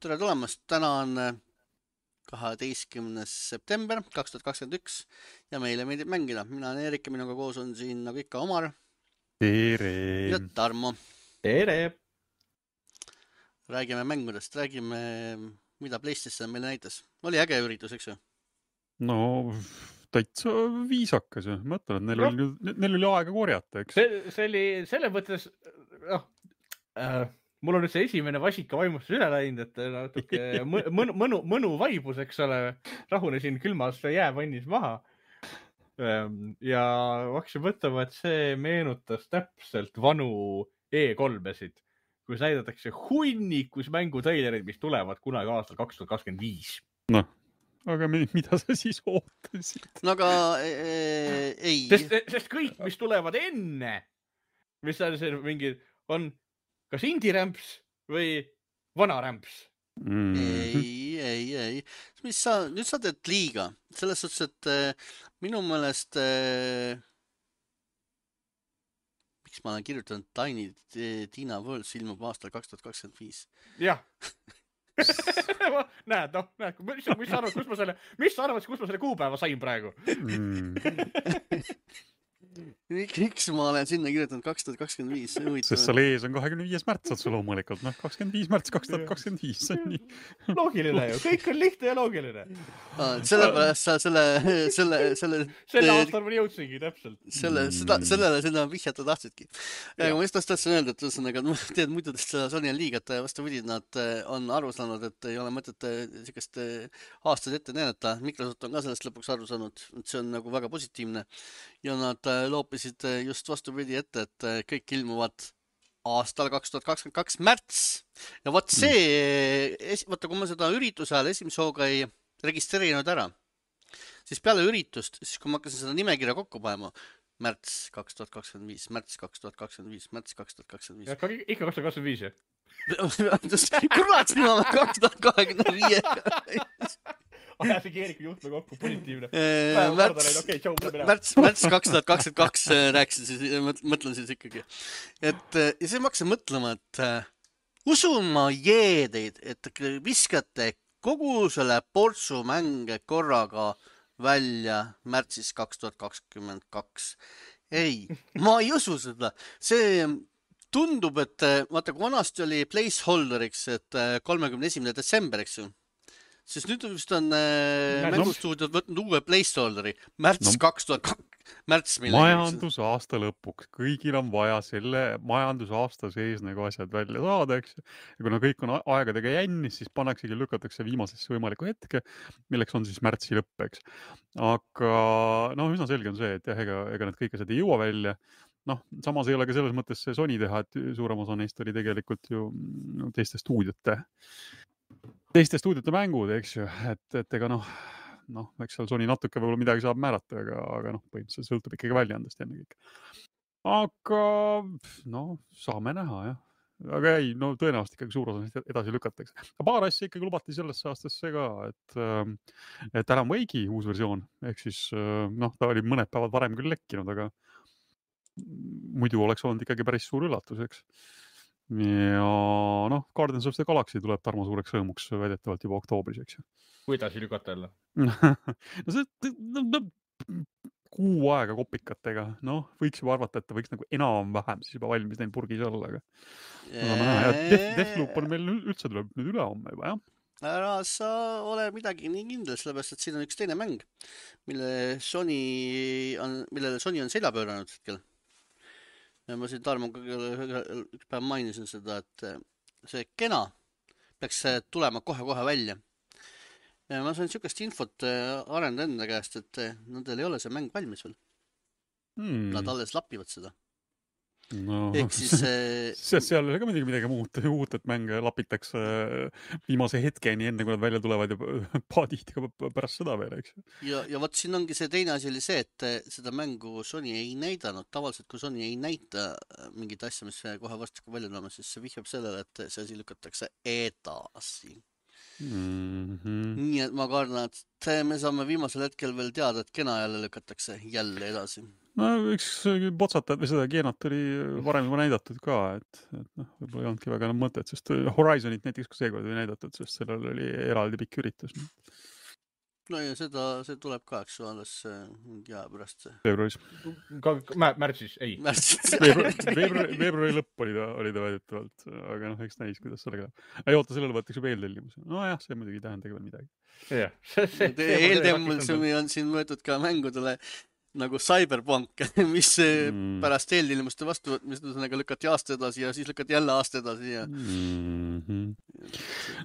tere tulemast, täna on 12. september 2021 ja meile meeldib mängida. Mina olen Erik ja minuga koos on siin nagu ikka Omar Tere! ja Tarmo. Tere! Räägime mängudest, räägime, mida PlayStation meile näitas. Oli äge üritus, eks ju? No, täitsa viisakas ju. Mõtlen, et neil oli aega korjata, eks? See oli selle mõttes, mul on nüüd see esimene vasika vaimustus üle läinud, et natuke mõnu vaibus, eks ole, rahunesin külmas jäävannis maha. Ja hakkasin mõtlema, et see meenutas täpselt vanu E3-esid, kus näidatakse hunnikus mängutreilerid, mis tulevad kunagi aastal 2025. Noh, aga mida sa siis ootasid? No aga ei. Sest kõik, mis tulevad enne, mis on see mingi, on kas indie-rämps või vana-rämps? Ei. Nüüd sa teed liiga. Selles suhtes, et minu meelest miks ma olen kirjutanud Tiny Tina Worlds ilmub aastal 2025. Jah. Näed, mis sa arvad, kus ma selle kuupäeva sain praegu? Miks ma olen sinna kirjutanud 2025? Sest seal ees on 25. märts otse loomulikult. 25. märts 2025. See on nii. Loogiline ju. Kõik on lihtne ja loogiline. Sellepärast sa selle aastal ma jõudsingi täpselt. Sellele seda vihjata tahtsidki. Aga ma just tahtsin öelda, et ühesõnaga, teed muidu seda Sony on liigat ja vastupidi, nad on aru saanud, et ei ole mõtet sellist aastaid ette näidata. Microsoft on ka sellest lõpuks aru saanud, et see on nagu väga positiivne. Ja nad loopisid just vastupidi ette, et kõik ilmuvad aastal 2022 märts. Ja võt see, võtta kui ma seda ürituse ajal esimese hooga ei registreerinud ära, siis peale üritust, siis kui ma hakkasin seda nimekirja kokku panema, märts 2025, märts 2025, märts 2025. Ja ikka 2025, jah? Kurat, sina olen 2025. Ajasin Eeriku juhtme kokku, positiivne. Märts 2022 rääkisin siis, mõtlen siis ikkagi. Ja siis ma hakkasin mõtlema, et usun ma jeedeid, et viskate kogu selle portsu mänge korraga välja märtsis 2022. Ei, ma ei usu seda. See tundub, et vaata, kui vanasti oli placeholderiks, et 31. detsember, eks ju. Sest nüüd vist on mängustuudiod võtnud uue placeholderi. Märts 2002. Märts millegi. Majandusaasta lõpuks. Kõigil on vaja selle majandusaasta sees nagu asjad välja saada, eks. Ja kuna kõik on aegadega jännis, siis pannaksegi lükatakse viimasesse võimaliku hetke, milleks on siis märtsi lõpp, eks. Aga üsna selge on see, et jah, ega need kõik asjad ei jõua välja. Samas ei ole ka selles mõttes see Sony teha, et suurem osa neist oli tegelikult ju teiste stuudiote mängud, eks ju, et ega eks seal Sony natuke võib-olla midagi saab määrata, aga põhimõtteliselt sõltub ikkagi väljaandest enne kõik. Aga saame näha, jah. Aga ei, tõenäoliselt ikkagi suur osa edasi lükatakse. Paar asja ikkagi lubati sellesse aastasse ka, et Alan Wake'i uus versioon, ehk siis ta oli mõned päevad varem küll lekkinud, aga muidu oleks olnud ikkagi päris suur üllatus, eks. Ja Guardians of the Galaxy tuleb Tarmo suureks sõõmuks väidetavalt juba oktoobris, eks ju. Kuidas lükata jälle? Kuu aega kopikatega. Võiks juba arvata, et ta võiks nagu enam-vähem siis juba valmis neil purgis olla. Ja Deathloop on meil üldse tuleb nüüd üle homme juba, jah? Ära sa ole midagi nii kindel, sellepärast, et siin on üks teine mäng, millele Sony on selja pööranud hetkel. Ja ma siin Tarmoga üks päev mainisin seda, et see Kena peaks tulema kohe välja. Ja ma sain sükest infot arenda enda käest, et nendel ei ole see mäng valmis veel. Nad alles lapivad seda. Ehk siis seal ei ole ka midagi muud, et mänge lapitakse viimase hetkeni enne, kui nad välja tulevad ja paadihti ka pärast seda veel, eks. Ja võt siin ongi see teine asi oli see, et seda mängu Sony ei näidanud. Tavaliselt, kui Sony ei näita mingit asja, mis kohe vastasku välja tulema, siis see vihjab sellele, et see asi lükatakse edasi. Nii et ma kardan, et me saame viimasel hetkel veel teada, et Kena jälle lükatakse jälle edasi. no üks potsatajad või seda geenat oli varem juba näidatud ka, et noh, võib-olla ei olnudki väga enam mõtet, sest Horizonit näiteks ka seekord ei näidatud, sest sellel oli eraldi pikk üritus. no ja see tuleb ka, eks ju, alles mingi aja pärast. Veebruaris. Märtsis, ei. Veebruari lõpp oli ta väidetavalt, aga noh, eks näis, kuidas sellega läheb. Ei oota, sellele võetakse veel tellimus. No jah, see muidugi ei tähenda veel midagi. Eeltemmus on siin võetud ka mängudele nagu Cyberpunk, mis pärast eeltellimuste vastuvõtmist lükati aasta edasi ja siis lükati jälle aasta edasi ja...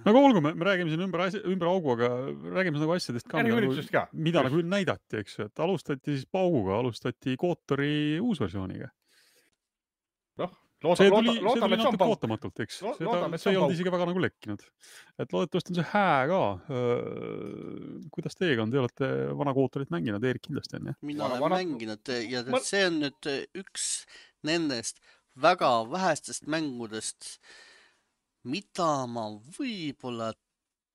Aga olgu, me räägime siin ümber augu, aga räägime nagu asjadest ka, mida nagu näidati, eks ju, et alustati siis pauguga, alustati Kotori uusversiooniga. See tuli natuke ootamatult, eks. See ei olnud isegi väga nagu lekkinud. Et loodetavasti on see hää ka. Kuidas teiega on? Te olete vana Kotorit mänginud, Eerik kindlasti on, jah? Mina olen mänginud ja see on nüüd üks nendest väga vähestest mängudest, mida ma võib-olla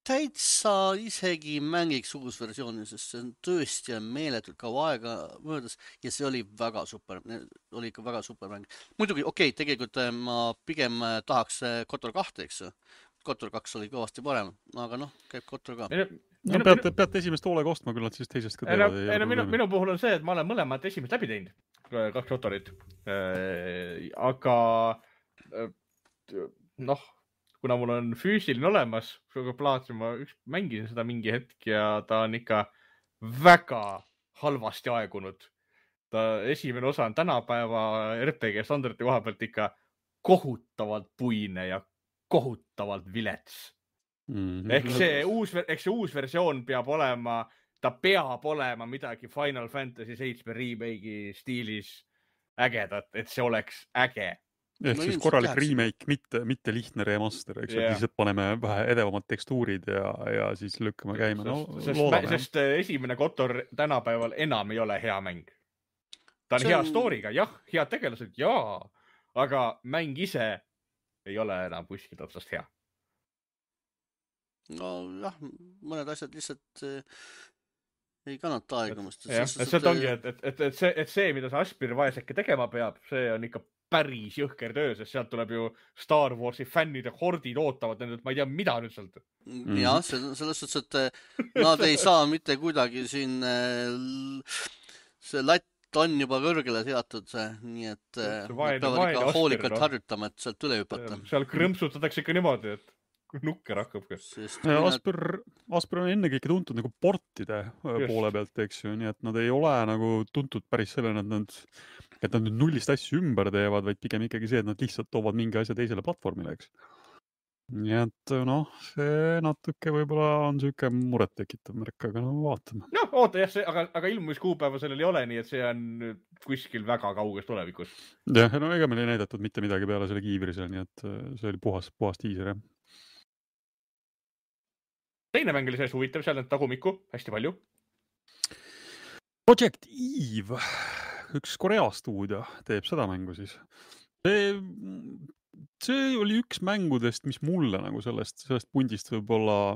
täitsa isegi mängiks uus versiooni, sest see on tõesti meeletult kaua aega möödas ja see oli väga super, oli ikka väga super mäng. Muidugi, okei, tegelikult ma pigem tahaks Kotor 2, eks ju. Kotor 2 oli kõvasti parem, aga noh, käib Kotor ka. No, peate esimest hoolega ostma, küll nad siis teisest ka teevad. Minu puhul on see, et ma olen mõlemad esimest läbi teinud, 2 Kotorit. Aga noh, kuna mul on füüsiline olemas, plaatsin, ma mängisin seda mingi hetk ja ta on ikka väga halvasti aegunud. Ta esimene osa on tänapäeva RPG standardi koha pealt ikka kohutavalt puine ja kohutavalt vilets. Ehk see uus versioon peab olema, ta peab olema midagi Final Fantasy 7 remake'i stiilis ägedat, et see oleks äge. Ehk siis korralik remake, mitte lihtne remaster, eks lihtsalt paneme vähe edevamad tekstuurid ja siis lükkame käima. Sest esimene Kotor tänapäeval enam ei ole hea mäng. Ta on hea story'ga, jah, head tegelased, jaa, aga mäng ise ei ole enam kuskilt otsast hea. No jah, mõned asjad lihtsalt ei kannata aegumust. Sealt ongi, et see, mida see Aspir vaeseke tegema peab, see on ikka päris jõhker töö, sest sealt tuleb ju Star Warsi fännide hordid ootavad nendelt, ma ei tea, mida nüüd sealt. Jah, selles suhtes, et nad ei saa mitte kuidagi siin, see latt on juba kõrgele seatud, nii et peavad ikka hoolikalt harjutama, et sealt üle hüpata. Seal krõmpsutatakse ikka niimoodi, et nukker hakkab. Aspir on ennekõike tuntud nagu portide poole pealt, eks ju, nii et nad ei ole nagu tuntud päris sellena, et nad nüüd nullist asju ümber teevad, vaid pigem ikkagi see, et nad lihtsalt toovad mingi asja teisele platvormile, eks. Nii et noh, see natuke võib-olla on siuke muret tekitav märk, aga no vaatame. No oota jah, aga ilmumiskuupäeva sellel ei ole, nii et see on kuskil väga kauges tulevikus. Jah, no ega meil ei näidatud mitte midagi peale selle kiivrisele, nii et see oli puhas tiiser, jah. Teine mäng oli selles huvitav, seal on tagumikku hästi palju. Project Eve, üks Korea stuudio teeb seda mängu siis. See oli üks mängudest, mis mulle nagu sellest pundist võib-olla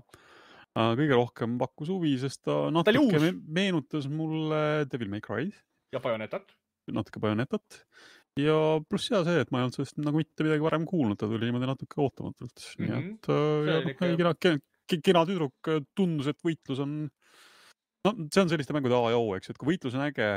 kõige rohkem pakkus huvi, sest ta natuke meenutas mulle Devil May Cry. Ja Bayonetat. Natuke Bayonetat. Ja pluss see, et ma ei olnud sellest nagu mitte midagi varem kuulnud, ta tuli niimoodi natuke ootamatult. Nii et kena tüdruk tundus, et võitlus on, no see on selliste mängude A ja O, eks, et kui võitlus on äge,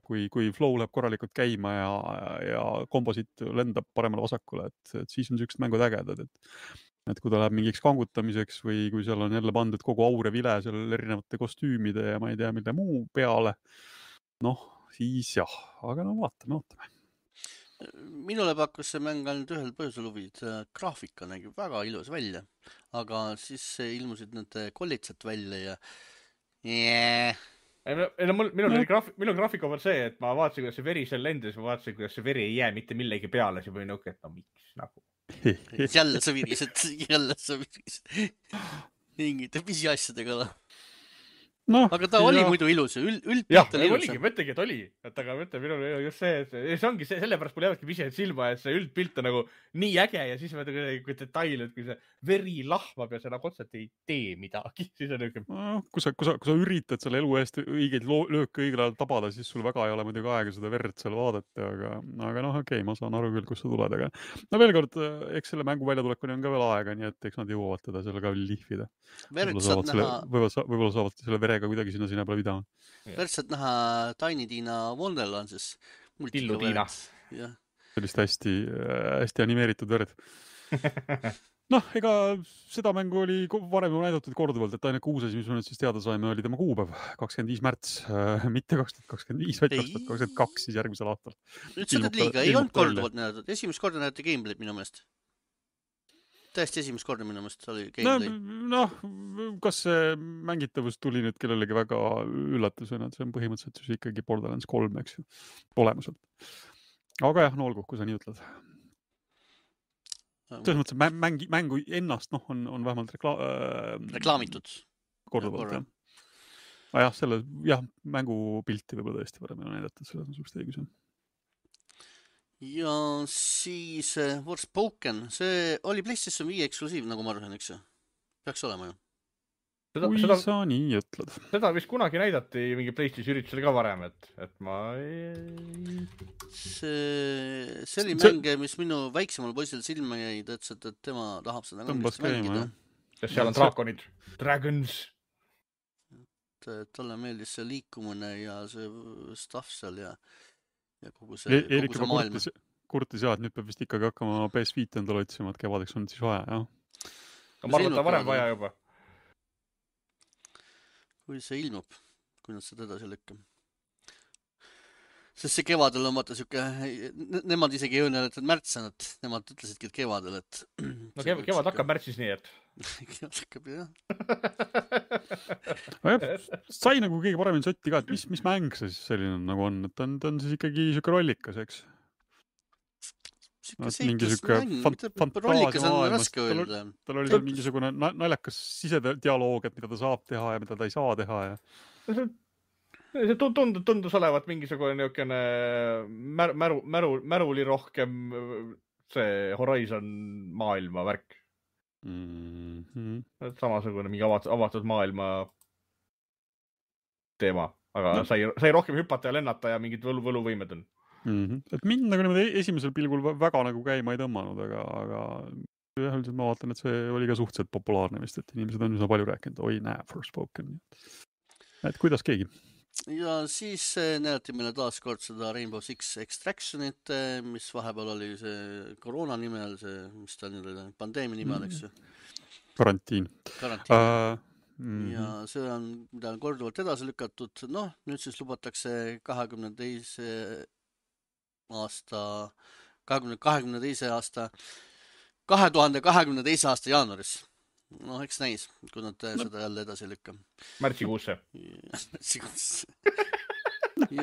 kui flow läheb korralikult käima ja komposit lendab paremale vasakule, et siis on sellised mängud ägedad, et kui ta läheb mingiks kangutamiseks või kui seal on jälle pandud kogu aur ja vile seal erinevate kostüümide ja ma ei tea, mille muu peale, noh, siis jah, aga no vaatame. Minule pakkus see mäng ainult ühel põhjusel huvid. Graafika nägi väga ilus välja, aga siis ilmusid need kollitsad välja ja Minul graafika on see, et ma vaatasin, kuidas see veri seal lendas, ma vaatasin, kuidas see veri ei jää mitte millegi peale, see või nõuke, et no miks nagu. Jälle sa virisid. Mingite pisiasjadega. noh, aga ta oli muidu ilus ja jah, üldpilt oli ilus. oligi, ma ütlengi, et oli. Et aga mõtle, minul just see ongi see, sellepärast mul jäävadki vihjed silma, et see üldpilt on nagu nii äge ja siis vaata kui detail, et kui see veri lahvab ja see nagu otseselt ei tee midagi, siis on niuke. Kui sa üritad selle elu eest õigeid lööke õigel ajal tabada, siis sul väga ei ole muidugi aega seda verd seal vaadata, aga noh, okei, ma saan aru küll, kust sa tuled, aga no veel kord, eks selle mängu väljatulekuni on ka veel aega, nii et eks nad jõuavad teda selle ka lihvida. Võib-olla saavad selle verega kuidagi sinna peale pidama. Verd saad näha Tiny Tina Wonderlandsis. Tillu Tiina. Sellist hästi animeeritud verd. Noh, ega seda mängu oli varem näidatud korduvalt, et ainult uus asi, mis me nüüd siis teada saime, oli tema kuupäev, 25. märts, mitte 2025, vaid 2022 siis järgmisel aastal. Nüüd sa teed liiga, ei olnud korduvalt näidatud. Esimest korda näidati gameplay'd minu meelest. Täiesti esimest korda minu meelest oli gameplay. Noh, kas see mängitavus tuli nüüd kellelegi väga üllatusena, et see on põhimõtteliselt siis ikkagi Borderlands 3, eks ju, olemuselt. Aga jah, no olgu, kui sa nii ütled. Selles mõttes, et mängu ennast on vähemalt reklaamitud. Korduvalt, jah. Jah, mängupilti võib-olla tõesti varem ei näidatud, selles on suust õigus. Ja siis Forspoken, see oli PlayStation 5 eksklusiiv, nagu ma arvan, eks ju? Peaks olema ju. Kui sa nii ütled. Seda vist kunagi näidati mingi PlayStation üritusel ka varem, et ma ei... See oli mänge, mis minu väiksemal poisil silma jäi, ütles, et tema tahab seda mängida. Sest seal on draakonid. Dragons. Talle meeldis see liikumine ja see stuff seal ja kogu see maailm. Kurtis jah, et nüüd peab vist ikkagi hakkama PS5 endale otsima, et kevadeks on siis vaja, jah. Ma arvan, et varem vaja juba. Kui see ilmub, kui nad seda edasi lükkab. Sest see kevadel on vaata siuke, nemad isegi ei öelnud, et märtsen, et nemad ütlesidki, et kevadel, et... No kevad hakkab märtsis nii, et... Kevad hakkab, jah. Sai nagu keegi paremini sotti ka, et mis mäng see siis selline nagu on, et ta on siis ikkagi siuke rollikas, eks? Mingi siuke rollikas on raske öelda. Tal oli seal mingisugune naljakas sisedialoog, et mida ta saab teha ja mida ta ei saa teha ja... See tundus olevat mingisugune niukene märuli rohkem see Horizon maailma värk. Samasugune mingi avatud maailma teema, aga sai rohkem hüpata ja lennata ja mingid võluvõimed on. Et mind nagu niimoodi esimesel pilgul väga nagu käima ei tõmmanud, aga üldiselt ma vaatan, et see oli ka suhteliselt populaarne vist, et inimesed on üsna palju rääkinud, oi näe, Forspoken. Et kuidas keegi? Ja siis näidati meile taas kord seda Rainbow Six Extractionit, mis vahepeal oli see koroona nimel, see, mis ta nüüd oli, pandeemia nimel, eks ju? Karantiin. Ja see on, mida on korduvalt edasi lükatud. Noh, nüüd siis lubatakse 2022. aasta jaanuaris. Noh, eks näis, kui nad seda jälle edasi lükka. Märtsikuusse.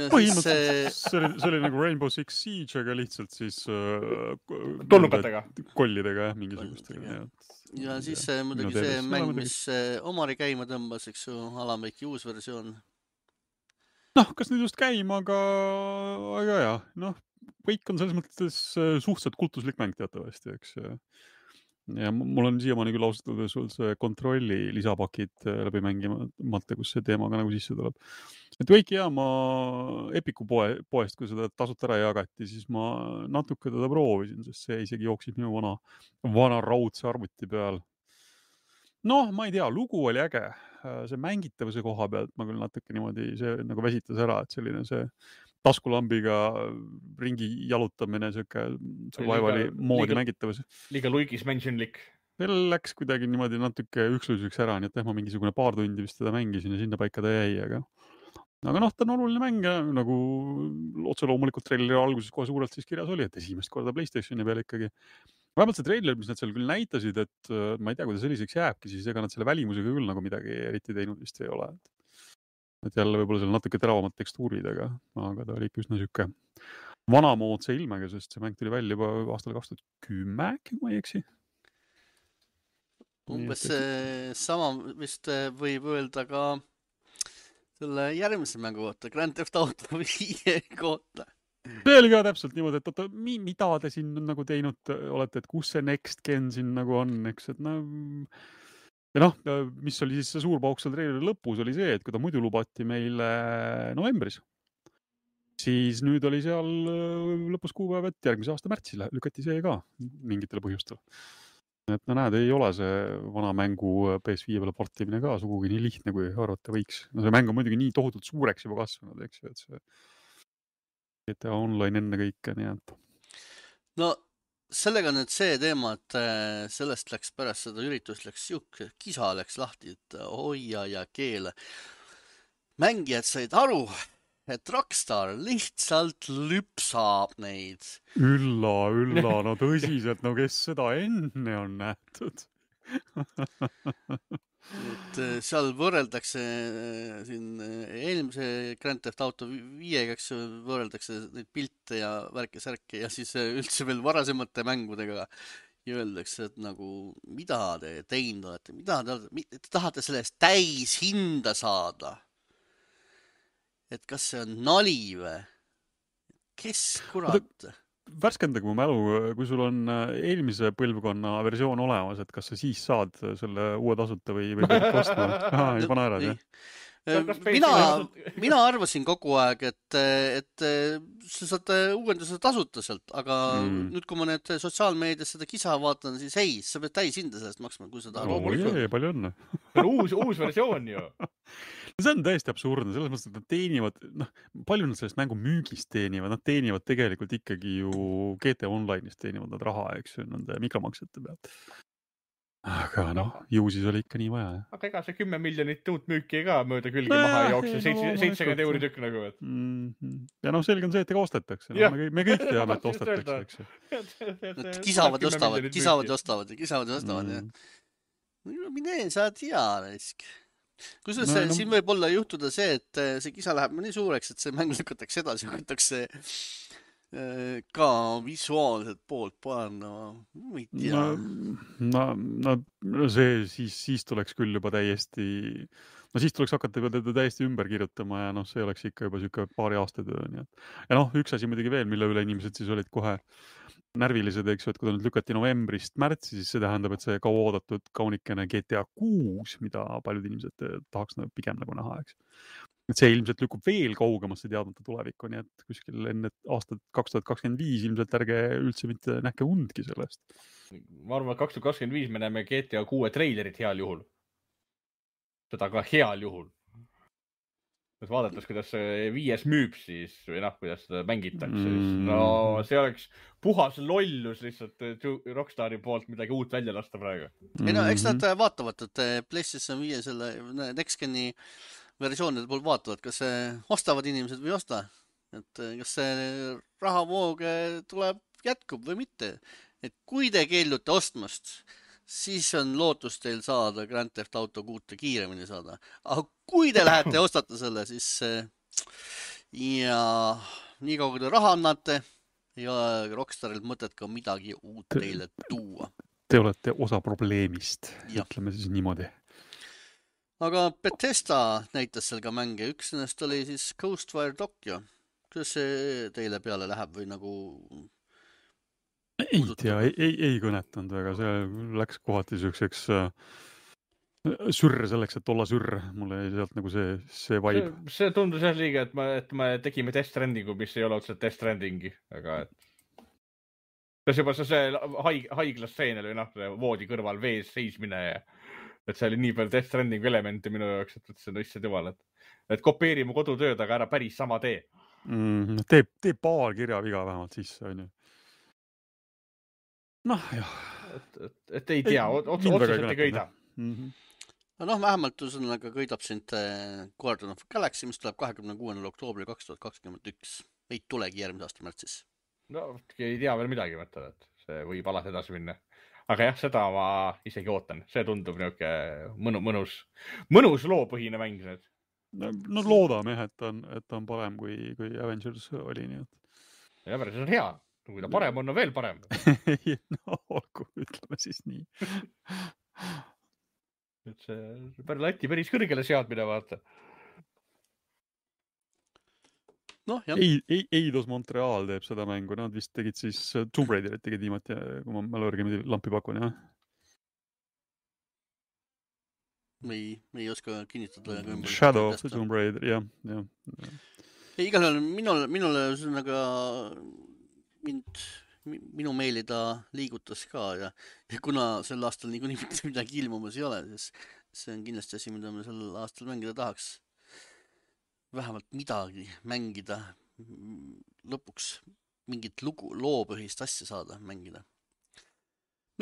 Põhimõtteliselt see oli nagu Rainbow Six Siege, aga lihtsalt siis tulnukatega. Kollidega, mingisugustega. Ja siis muidugi see mäng, mis Omari käima tõmbas, eks ju, Alamveiki uus versioon. Noh, kas nüüd just käima, aga jah, noh, Quake on selles mõttes suhteliselt kultuslik mäng teatavasti, eks. Ja mul on siiamaani küll austatud sul see kontrolli lisapakid läbi mängimata, kus see teema ka nagu sisse tuleb. Et Quake'i ma Epiku poest, kui seda tasut ära jagati, siis ma natuke teda proovisin, sest see isegi jooksis minu vana raudse arvuti peal. Noh, ma ei tea, lugu oli äge. See mängitavuse koha pealt ma küll natuke niimoodi see nagu väsitas ära, et selline see taskulambiga ringi jalutamine, see vaevali moodi mängitavus. Liiga luigis mentionlik. Veel läks kuidagi niimoodi natuke üksuseks ära, nii et ma mingisugune paar tundi vist teda mängisin ja sinna paika ta jäi, aga noh, ta on oluline mäng ja nagu otse loomulikult traileri alguses kohe suurelt siis kirjas oli, et esimest korda PlayStationi peal ikkagi. Vähemalt see trailer, mis nad seal küll näitasid, et ma ei tea, kui ta selliseks jääbki, siis ega nad selle välimusega küll nagu midagi eriti teinud vist ei ole. Et jälle võib-olla seal natuke teravamad tekstuurid, aga ta oli ikka üsna siuke vanamoodse ilmega, sest see mäng tuli välja juba aastal 2010, kui ma ei eksi. Umbes sama vist võib öelda ka selle järgmise mängu kohta, Grand Theft Auto 5 kohta. See oli ka täpselt niimoodi, et oota, mida te siin nagu teinud olete, et kus see next gen siin nagu on, eks, et no... Ja noh, mis oli siis see suur pauk seal treileri lõpus, oli see, et kui ta muidu lubati meile novembris, siis nüüd oli seal lõpus kuupäev, et järgmise aasta märtsis lükati see ka mingitel põhjustel. Et no näed, ei ole see vana mängu PS5 peale portimine ka sugugi nii lihtne, kui arvata võiks. No see mäng on muidugi nii tohutult suureks juba kasvanud, eks ju, et see GTA Online enne kõike, nii et... No sellega nüüd see teema, et sellest läks pärast seda üritust, kisa läks lahti, et hoia ja keele. Mängijad said aru, et Rockstar lihtsalt lüpsab neid. Ülla, no tõsiselt, no kes seda enne on nähtud? Et seal võrreldakse siin eelmise Grand Theft Auto 5-ga, eks võrreldakse neid pilte ja värke-särke ja siis üldse veel varasemate mängudega ja öeldakse, et nagu mida te teinud olete, te tahate sellest täis hinda saada. Et kas see on nali või? Kes kurat? Värskendage mu mälu, kui sul on eelmise põlvkonna versioon olemas, et kas sa siis saad selle uue tasuta või pead kostma? Ei pane ära, jah? Mina arvasin kogu aeg, et sa saad uuenduse tasuta sealt, aga nüüd, kui ma need sotsiaalmeedias seda kisa vaatan, siis ei, sa pead täis hinda sellest maksma, kui sa tahad. Palju õnne. Uus versioon ju. See on täiesti absurdne, selles mõttes, et nad teenivad, palju nad sellest mängu müügist teenivad, nad teenivad tegelikult ikkagi ju GTA Online'ist teenivad nad raha, eks ju, nende mikromaksete pealt. Aga ju siis oli ikka nii vaja. Aga ega see 10 miljonit uut müüki ka mööda külge maha jookse, 70 euri tükk nagu. Ja selge on see, et ega ostetakse. Me kõik teame, et ostetakse, eks ju. Kisavad ja ostavad. Mine, sa tea, risk. Kusjuures siin võib olla juhtuda see, et see kisa läheb nii suureks, et see mäng lükatakse edasi, võetakse ka visuaalselt poolt panna, ma ei tea. See siis tuleks küll juba täiesti, siis tuleks hakata juba teda täiesti ümber kirjutama ja see oleks ikka juba siuke paari aasta töö. Ja üks asi muidugi veel, mille üle inimesed siis olid kohe närvilised, eks ju, et kui ta nüüd lükati novembrist märtsi, siis see tähendab, et see kauaoodatud kaunikene GTA 6, mida paljud inimesed tahaks pigem nagu näha, eks. Et see ilmselt lükub veel kaugemasse teadmata tulevikku, nii et kuskil enne aastat 2025 ilmselt ärge üldse mitte nähke undki sellest. Ma arvan, et 2025 me näeme GTA 6 treilerit heal juhul. Seda ka heal juhul. Et vaadates, kuidas see 5 müüb siis, või kuidas seda mängitakse, see oleks puhas lollus lihtsalt Rockstari poolt midagi uut välja lasta praegu. Ei eks nad vaatavad, et PlayStation 5 selle Next Geni versioonide pool vaatavad, kas ostavad inimesed või osta. Et kas see rahavoog tuleb, jätkub või mitte. Et kui te keeldute ostmast, siis on lootus teil saada Grand Theft Auto 6 kiiremini saada. Aga kui te lähete ostate selle, siis ja nii kaua kui te raha annate, ei ole Rockstarilt mõtet ka midagi uut teile tuua. Te olete osa probleemist, ütleme siis niimoodi. Aga Bethesda näitas seal ka mänge. Üks nendest oli siis Ghostwire Tokyo. Kuidas see teile peale läheb või nagu... Ei tea, ei kõnetanud väga, see läks kohati selliseks sürre selleks, et olla sürre. Mulle jäi sealt nagu see vibe. See tundus jah liiga, et me tegime Death Strandingu, mis ei ole otseselt Death Strandingi, aga kas juba see haiglastseen oli voodi kõrval vees seismine ja et see oli nii palju Death Strandingu elemente minu jaoks, et see on issand jumal, et kopeerime kodutööd, aga ära päris sama tee. Tee paar kirjaviga vähemalt sisse, on ju. Jah. Et ei tea, otseselt ei kõida. Vähemalt kõidab sind Guardian of Galaxy, mis tuleb 26. oktoobril 2021. Ei tulegi järgmise aasta märtsis. Ei tea veel midagi, mõtlen, et see võib alati edasi minna. Aga jah, seda ma isegi ootan. See tundub mõnus loopõhine mäng. Loodame, et on parem kui Avengers oli. Ja Avengers on hea. Kui ta parem on veel parem. Olgu, ütleme siis nii. Et see lati päris kõrgele seadmine, vaata. Noh, jah. Eidos Montreal teeb seda mängu, nad vist tegid siis Tomb Raiderit tegid viimati, kui ma mälu järgi lampi pakun, jah. Me ei oska kinnitada. Shadow of the Tomb Raider, jah. Igal juhul minule ühesõnaga minu meeli ta liigutas ka ja kuna sel aastal niikuinii mitte midagi ilmumas ei ole, siis see on kindlasti asi, mida me sel aastal mängida tahaks. Vähemalt midagi mängida, lõpuks mingit loopõhist asja saada mängida.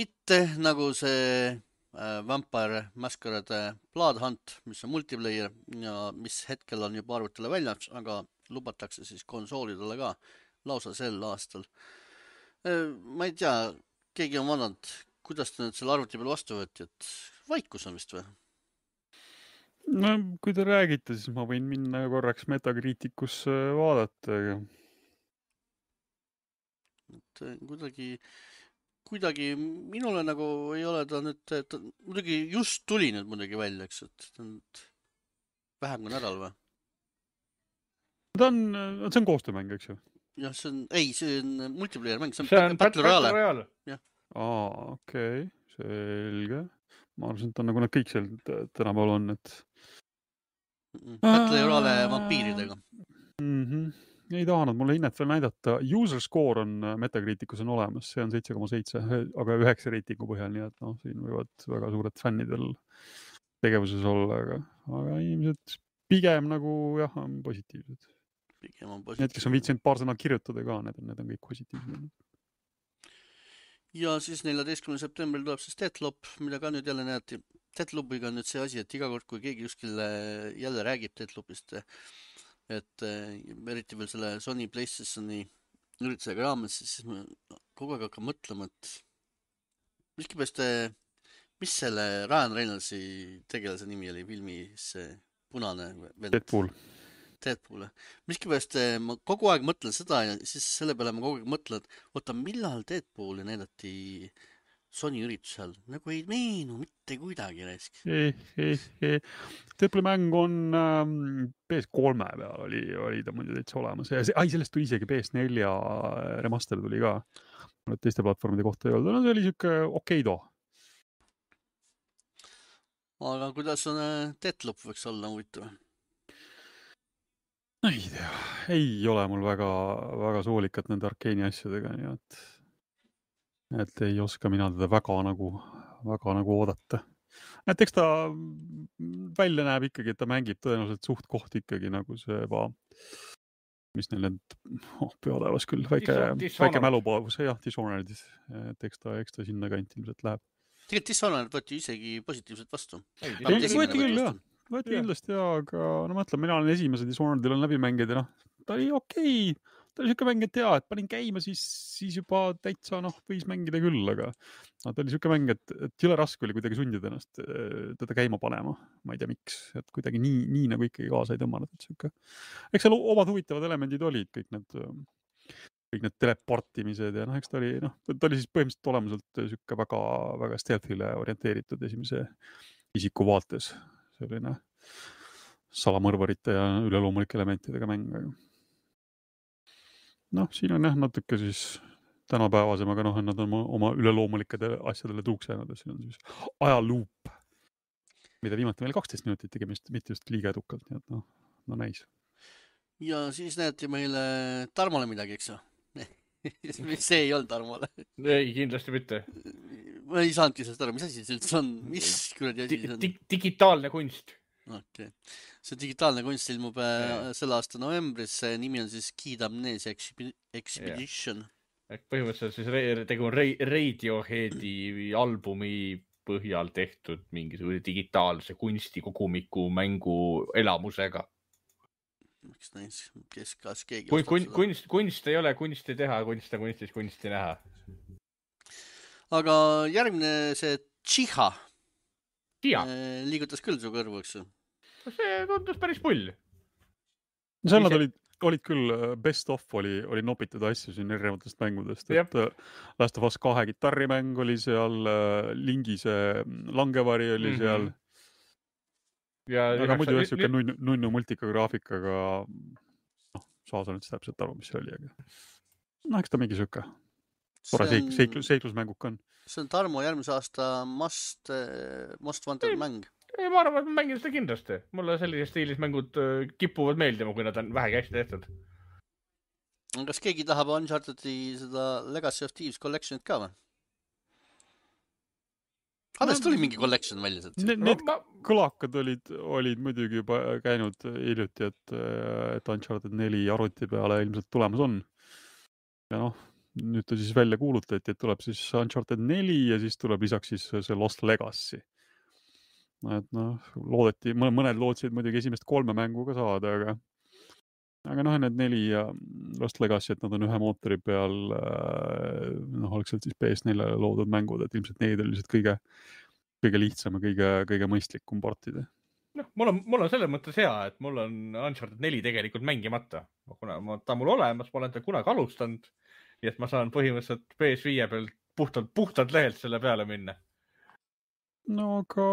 Mitte nagu see Vampire Masquerade Blood Hunt, mis on multiplayer ja mis hetkel on juba arvutile väljas, aga lubatakse siis konsoolidele ka lausa sel aastal. Ma ei tea, keegi on vaadanud, kuidas ta nüüd selle arvuti peal vastu võeti, et vaikus on vist või? No, kui te räägite, siis ma võin minna korraks Metacriticusse vaadata. Et kuidagi minule nagu ei ole ta nüüd, muidugi just tuli nüüd muidugi välja, eks, et vähem kui nädal või? See on koostöömäng, eks ju? Jah, see on multiplayer mäng, see on Battle Royale. Okei, selge. Ma arvasin, et on nagu nad kõik seal tänapäeval on, et... Battle Royale vampiiridega. Ei tahanud mulle hinnet veel näidata. User score on Metacriticus on olemas, see on 7,7, aga 9 reitingu põhjal, nii et siin võivad väga suured fännidel tegevuses olla, aga inimesed pigem nagu jah, on positiivsed. Need, kes on viitsinud paar sõna kirjutada ka, need on kõik positiivsed. Ja siis 14. septembril tuleb siis Deathloop, mida ka nüüd jälle näeti. Deathloopiga on nüüd see asi, et iga kord, kui keegi kuskil jälle räägib Deathloopist, et eriti veel selle Sony PlayStationi üritusega raames, siis ma kogu aeg hakkan mõtlema, et mis selle Ryan Reynoldsi tegelase nimi oli filmis punane vend? Deadpool. Miskipärast ma kogu aeg mõtlen seda ja siis selle peale ma kogu aeg mõtlen, et oota, millal Deadpooli näidati Sony üritusel? Nagu ei meenu mitte kuidagi raisk. Deadpooli mäng on PS3 peal oli ta muidu täitsa olemas. Sellest tuli isegi PS4 remaster tuli ka. Teiste platvormide kohta ei olnud. No, see oli siuke okei too. Aga kuidas on Deathloop võiks olla huvitav? Ei tea, ei ole mul väga soolikat nende Arkeeni asjadega, nii et ei oska mina teda väga nagu oodata. Et eks ta välja näeb ikkagi, et ta mängib tõenäoliselt suht koht ikkagi nagu see mis neil need peotaevas küll, väike mälupaavus, jah, Dishonored, et eks ta sinna kanti ilmselt läheb. Tegelikult Dishonored võeti isegi positiivselt vastu. Võeti küll, jah. Võeti kindlasti, aga mõtlen, mina olen esimese Dishonoredil on läbi mängid ja ta oli okei. Ta oli siuke mäng, et et panin käima, siis juba täitsa võis mängida küll, aga ta oli siuke mäng, et jõle raske oli kuidagi sundida ennast teda käima panema. Ma ei tea, miks, et kuidagi nii nagu ikkagi kaasa ei tõmmanud. Eks seal omad huvitavad elemendid olid, kõik need teleportimised ja eks ta oli siis põhimõtteliselt olemuselt siuke väga stealthile orienteeritud esimese isiku vaates. Selline salamõrvarite ja üleloomulike elementidega mäng. Siin on natuke siis tänapäevasem, aga nad on oma üleloomulikede asjadele tuuks jäänud. Siin on siis ajaluup, mida viimati meil 12 minutit tegemist, mitte just liiga edukalt, nii et näis. Ja siis näeti meile Tarmole midagi, eks ju? See ei olnud Tarmole. Ei, kindlasti mitte. Ma ei saanudki sellest aru, mis asi see üldse on? Mis kuradi asi see on? Digitaalne kunst. Okay. See digitaalne kunst ilmub selle aasta novembris. See nimi on siis Kid Amnesia Expedition. Põhimõtteliselt siis tegu on Radioheadi albumi põhjal tehtud mingisuguse digitaalse kunstikogumiku mängu elamusega. Miks näis, kas keegi kunst ei ole kunsti teha, kunst on kunstis kunsti näha. Aga järgmine see Tšiha liigutas küll su kõrvu, eks? See tundus päris pull. Seal nad olid küll, best of oli nopitud asju siin erinevatest mängudest. Et Last of Us 2 kitarrimäng oli seal, Lingise langevari oli seal. Ja aga muidu siuke nunnu multikagraafikaga saan üldse täpselt aru, mis see oli, aga no eks ta mingi söka. see Tore on, seiklusmänguk on. see on Tarmo järgmise aasta Most Wanted mäng. Ei, ma arvan, et ma mängin seda kindlasti. Mulle sellises stiilis mängud kipuvad meeldima, kui nad on vähegi hästi tehtud. Kas keegi tahab Uncharted'i seda Legacy of Thieves Collectionit ka või? Alles tuli mingi collection välja sealt. Need kõlakad olid muidugi juba käinud hiljuti, et Uncharted 4 arvuti peale ilmselt tulemas on. Ja noh, nüüd ta siis välja kuulutati, et tuleb siis Uncharted 4 ja siis tuleb lisaks siis see Lost Legacy. Et noh, mõned lootsid muidugi esimest 3 mängu ka saada, aga noh, need 4 ja Lost Legacy, et nad on ühe mootori peal, noh, oleks sealt siis PS4 loodud mängud, et ilmselt neid oli lihtsalt kõige lihtsam ja kõige mõistlikum portida. Noh, mul on selles mõttes hea, et mul on Uncharted 4 tegelikult mängimata. Kuna ta on mul olemas, ma olen ta kunagi alustanud, nii et ma saan põhimõtteliselt PS5 peal puhtalt lehelt selle peale minna. No aga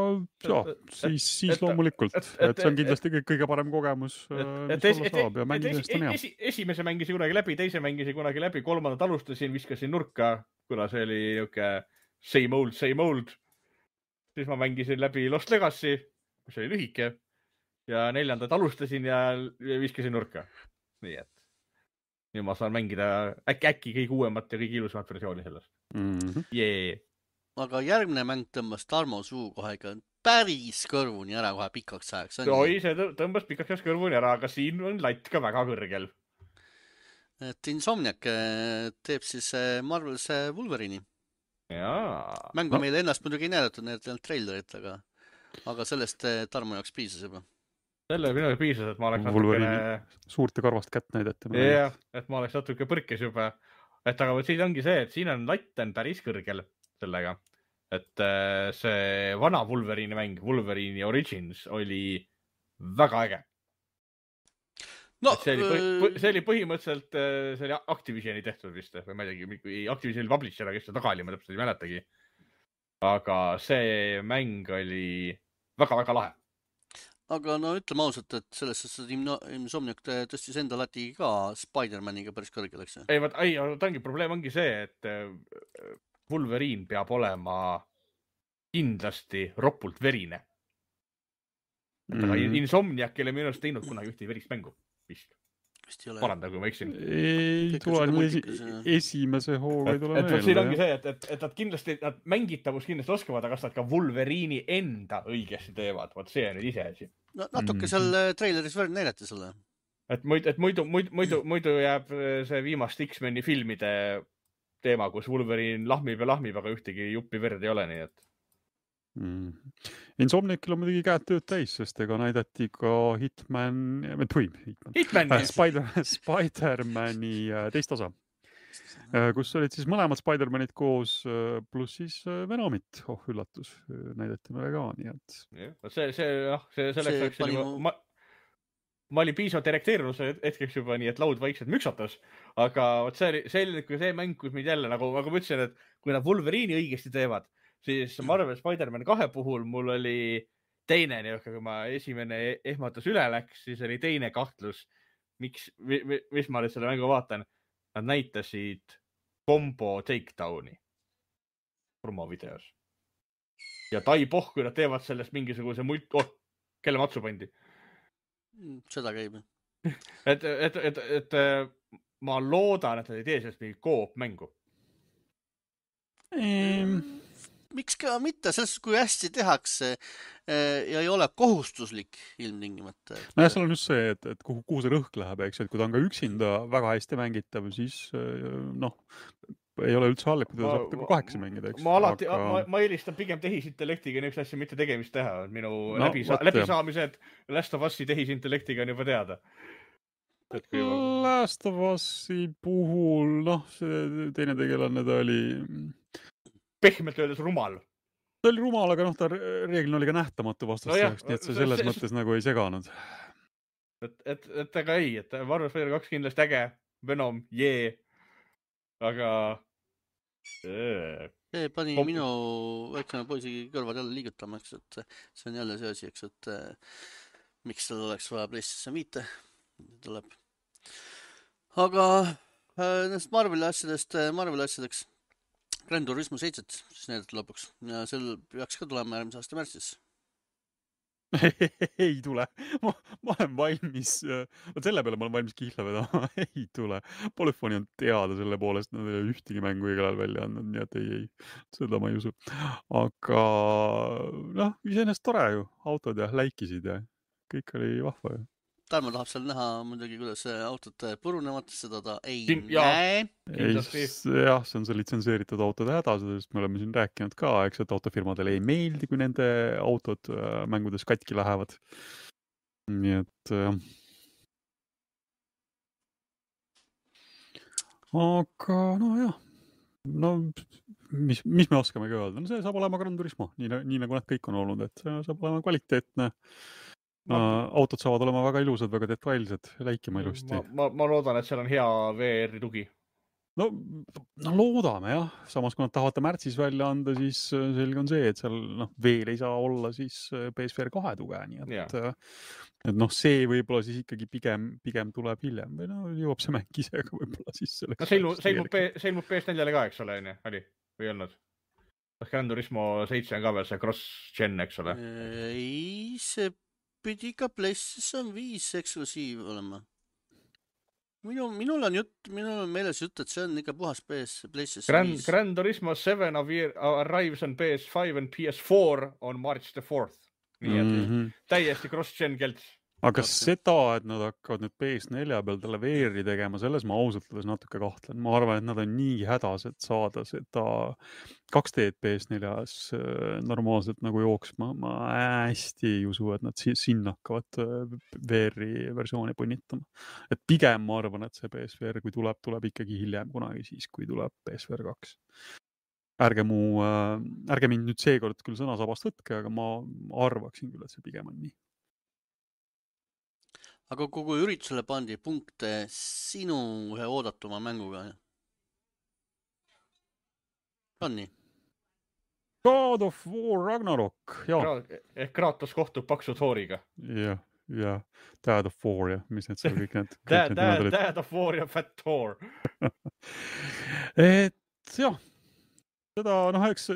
siis loomulikult, et see on kindlasti kõige parem kogemus, mis olla saab ja mängidest on hea. Esimese mängisin kunagi läbi, teise mängisin kunagi läbi, 3. alustasin, viskasin nurka, kuna see oli niuke same old. Siis ma mängisin läbi Lost Legacy, mis oli lühike, ja 4. alustasin ja viskasin nurka. Nii et nüüd ma saan mängida äkki kõige uuemat ja kõige ilusamat versiooni sellest. Jee. Aga järgmine mäng tõmbas Tarmo suu kohe ikka päris kõrvuni ära kohe pikaks ajaks. Oi, see tõmbas pikaks ajaks kõrvuni ära, aga siin on latt ka väga kõrgel. Et Insomniac teeb siis Marvel's Wolverine'i. Mängu meile ennast muidugi ei näidatud, need trailerit, aga sellest Tarmo jaoks piisas juba. Selle minu piisas, et ma oleks natukene... Suurt ja karvast kätt näidati. Jah, et ma oleks natuke põrkes juba. Et aga siin ongi see, et siin on latt on päris kõrgel sellega. Et see vana Wolverine mäng, Wolverine Origins, oli väga äge. No, see oli põhimõtteliselt see oli Activisioni tehtud vist, või ma ei teagi, Activisioni publisher, kes ta taga oli, ma täpselt ei mäletagi. Aga see mäng oli väga-väga lahe. Aga no ütleme ausalt, et selles Insomniac tõstis enda lati ka Spider-Maniga päris kõrgel, eks? Ei, probleem ongi see, et Wolverine peab olema kindlasti ropult verine. Aga Insomniac ei ole minu arust teinud kunagi ühte verist mängu. Vist paranda, kui ma eksin. Ei tule esimese hooga ei tule meelde. Siin ongi see, et nad kindlasti, nad mängitavus kindlasti oskavad, aga kas nad ka Wolverine'i enda õigesti teevad. Vaat see on nüüd ise asi. No, natuke seal traileris veel näidati selle. Et muidu jääb see viimast X-meni filmide teema, kus Wolverine lahmib, aga ühtegi juppi verd ei ole, nii et. Insomniacil on muidugi käed tööd täis, sest ega näidati ka Spider-Mani teist osa, kus olid siis mõlemad Spider-Manid koos, pluss siis Venomit, üllatus, näidati meile ka, nii et. Selleks ma olin piisavalt erekteerunud hetkeks juba nii, et laud vaikselt müksatas, aga see oli see mäng, kus meid jälle, nagu ma ütlesin, et kui nad Wolverine'i õigesti teevad, siis Marvel Spider-Man 2 puhul mul oli teine, kui ma esimene ehmatus üle läks, siis oli teine kahtlus, mis ma nüüd selle mängu vaatan. Nad näitasid combo takedowni promovideos. Ja tai kui nad teevad sellest mingisuguse kelle matsu pandi. Seda käib. Et ma loodan, et nad ei tee sellest mingi koop mängu. Miks ka mitte, selles kui hästi tehakse ja ei ole kohustuslik ilmtingimata. No ja seal on just see, et kuhu see rõhk läheb, eks, et kui ta on ka üksinda väga hästi mängitav, siis noh, ei ole üldse halb, kui ta saab ka 8 mängida, eks. Ma eelistan pigem tehisintellektiga niisugust asja mitte tegemist teha. Minu läbisaamised Last of Us'i tehisintellektiga on juba teada. Last of Us'i puhul, noh, see teine tegelane ta oli... Pehmelt öeldes rumal. Ta oli rumal, aga noh, ta reeglina oli ka nähtamatu vastaseks, nii et see selles mõttes nagu ei seganud. Et aga ei, et Marvel Spider 2 kindlasti äge, Venom, jee. Aga... See pani minu väiksema poisi kõrvad jälle liigutama, eks, et see on jälle see asi, eks, et miks tal oleks vaja PlayStation 5 tuleb. aga nendest Marveli asjadeks Gran Turismo 7 siis näidati lõpuks ja sel peaks ka tulema järgmise aasta märtsis. Ei tule. Ma olen valmis, selle peale ma olen valmis kihla vedama. Ei tule. Polyphony on teada selle poolest, nad ei ole ühtegi mängu igal ajal välja andnud, nii et ei, seda ma ei usu. Aga noh, iseenesest tore ju, autod ja läikisid ja kõik oli vahva ju. Tarmo tahab seal näha muidugi, kuidas autod purunevad, seda ta ei Jaa. näe. Kindlasti. Jah, see on see litsenseeritud autode häda, sest me oleme siin rääkinud ka, eks, et autofirmadele ei meeldi, kui nende autod mängudes katki lähevad. Nii et aga no jah, no mis me oskamegi öelda, no see saab olema Gran Turismo, nii nagu nad kõik on olnud, et see saab olema kvaliteetne. Autod saavad olema väga ilusad, väga detailsed, läikima ilusti. Ma loodan, et seal on hea VR tugi. No loodame jah, samas kui nad tahavad märtsis välja anda, siis selge on see, et seal veel ei saa olla siis PSVR 2 tuge, nii et see võib-olla siis ikkagi pigem tuleb hiljem või jõuab see mäng ise ka võib-olla siis selleks. See ilmub PS4-le ka, eks ole, oli või ei olnud? Gran Turismo 7 on ka veel see cross-gen, eks ole? Ei, see pidi ka PlayStation 5 eksklusiiv olema. Minul on meeles jutt, et see on ikka puhas PlayStation 5. Gran Turismo 7 arrives on PS5 and PS4 on March the 4th. Nii et täiesti cross-gen kelts. Aga seda, et nad hakkavad nüüd PS4 peal talle VR-i tegema, selles ma ausalt öeldes natuke kahtlen. Ma arvan, et nad on nii hädas, et saada seda 2D PS4-s normaalselt nagu jooksma. Ma hästi ei usu, et nad sinna hakkavad VR-i versiooni punnitama. Et pigem ma arvan, et see PSVR, kui tuleb ikkagi hiljem kunagi siis, kui tuleb PSVR 2. Ärge mind nüüd seekord küll sõnasabast võtke, aga ma arvaksin küll, et see pigem on nii. Aga kogu üritusele pandi punkte sinu ühe oodatuma mänguga. On nii? God of War Ragnarok, jah. Kratos kohtub paksu Thoriga. Jah. Dad of War, jah. Mis need seal kõik need? Dad of War ja Fat Thor. Et jah. Seda, eks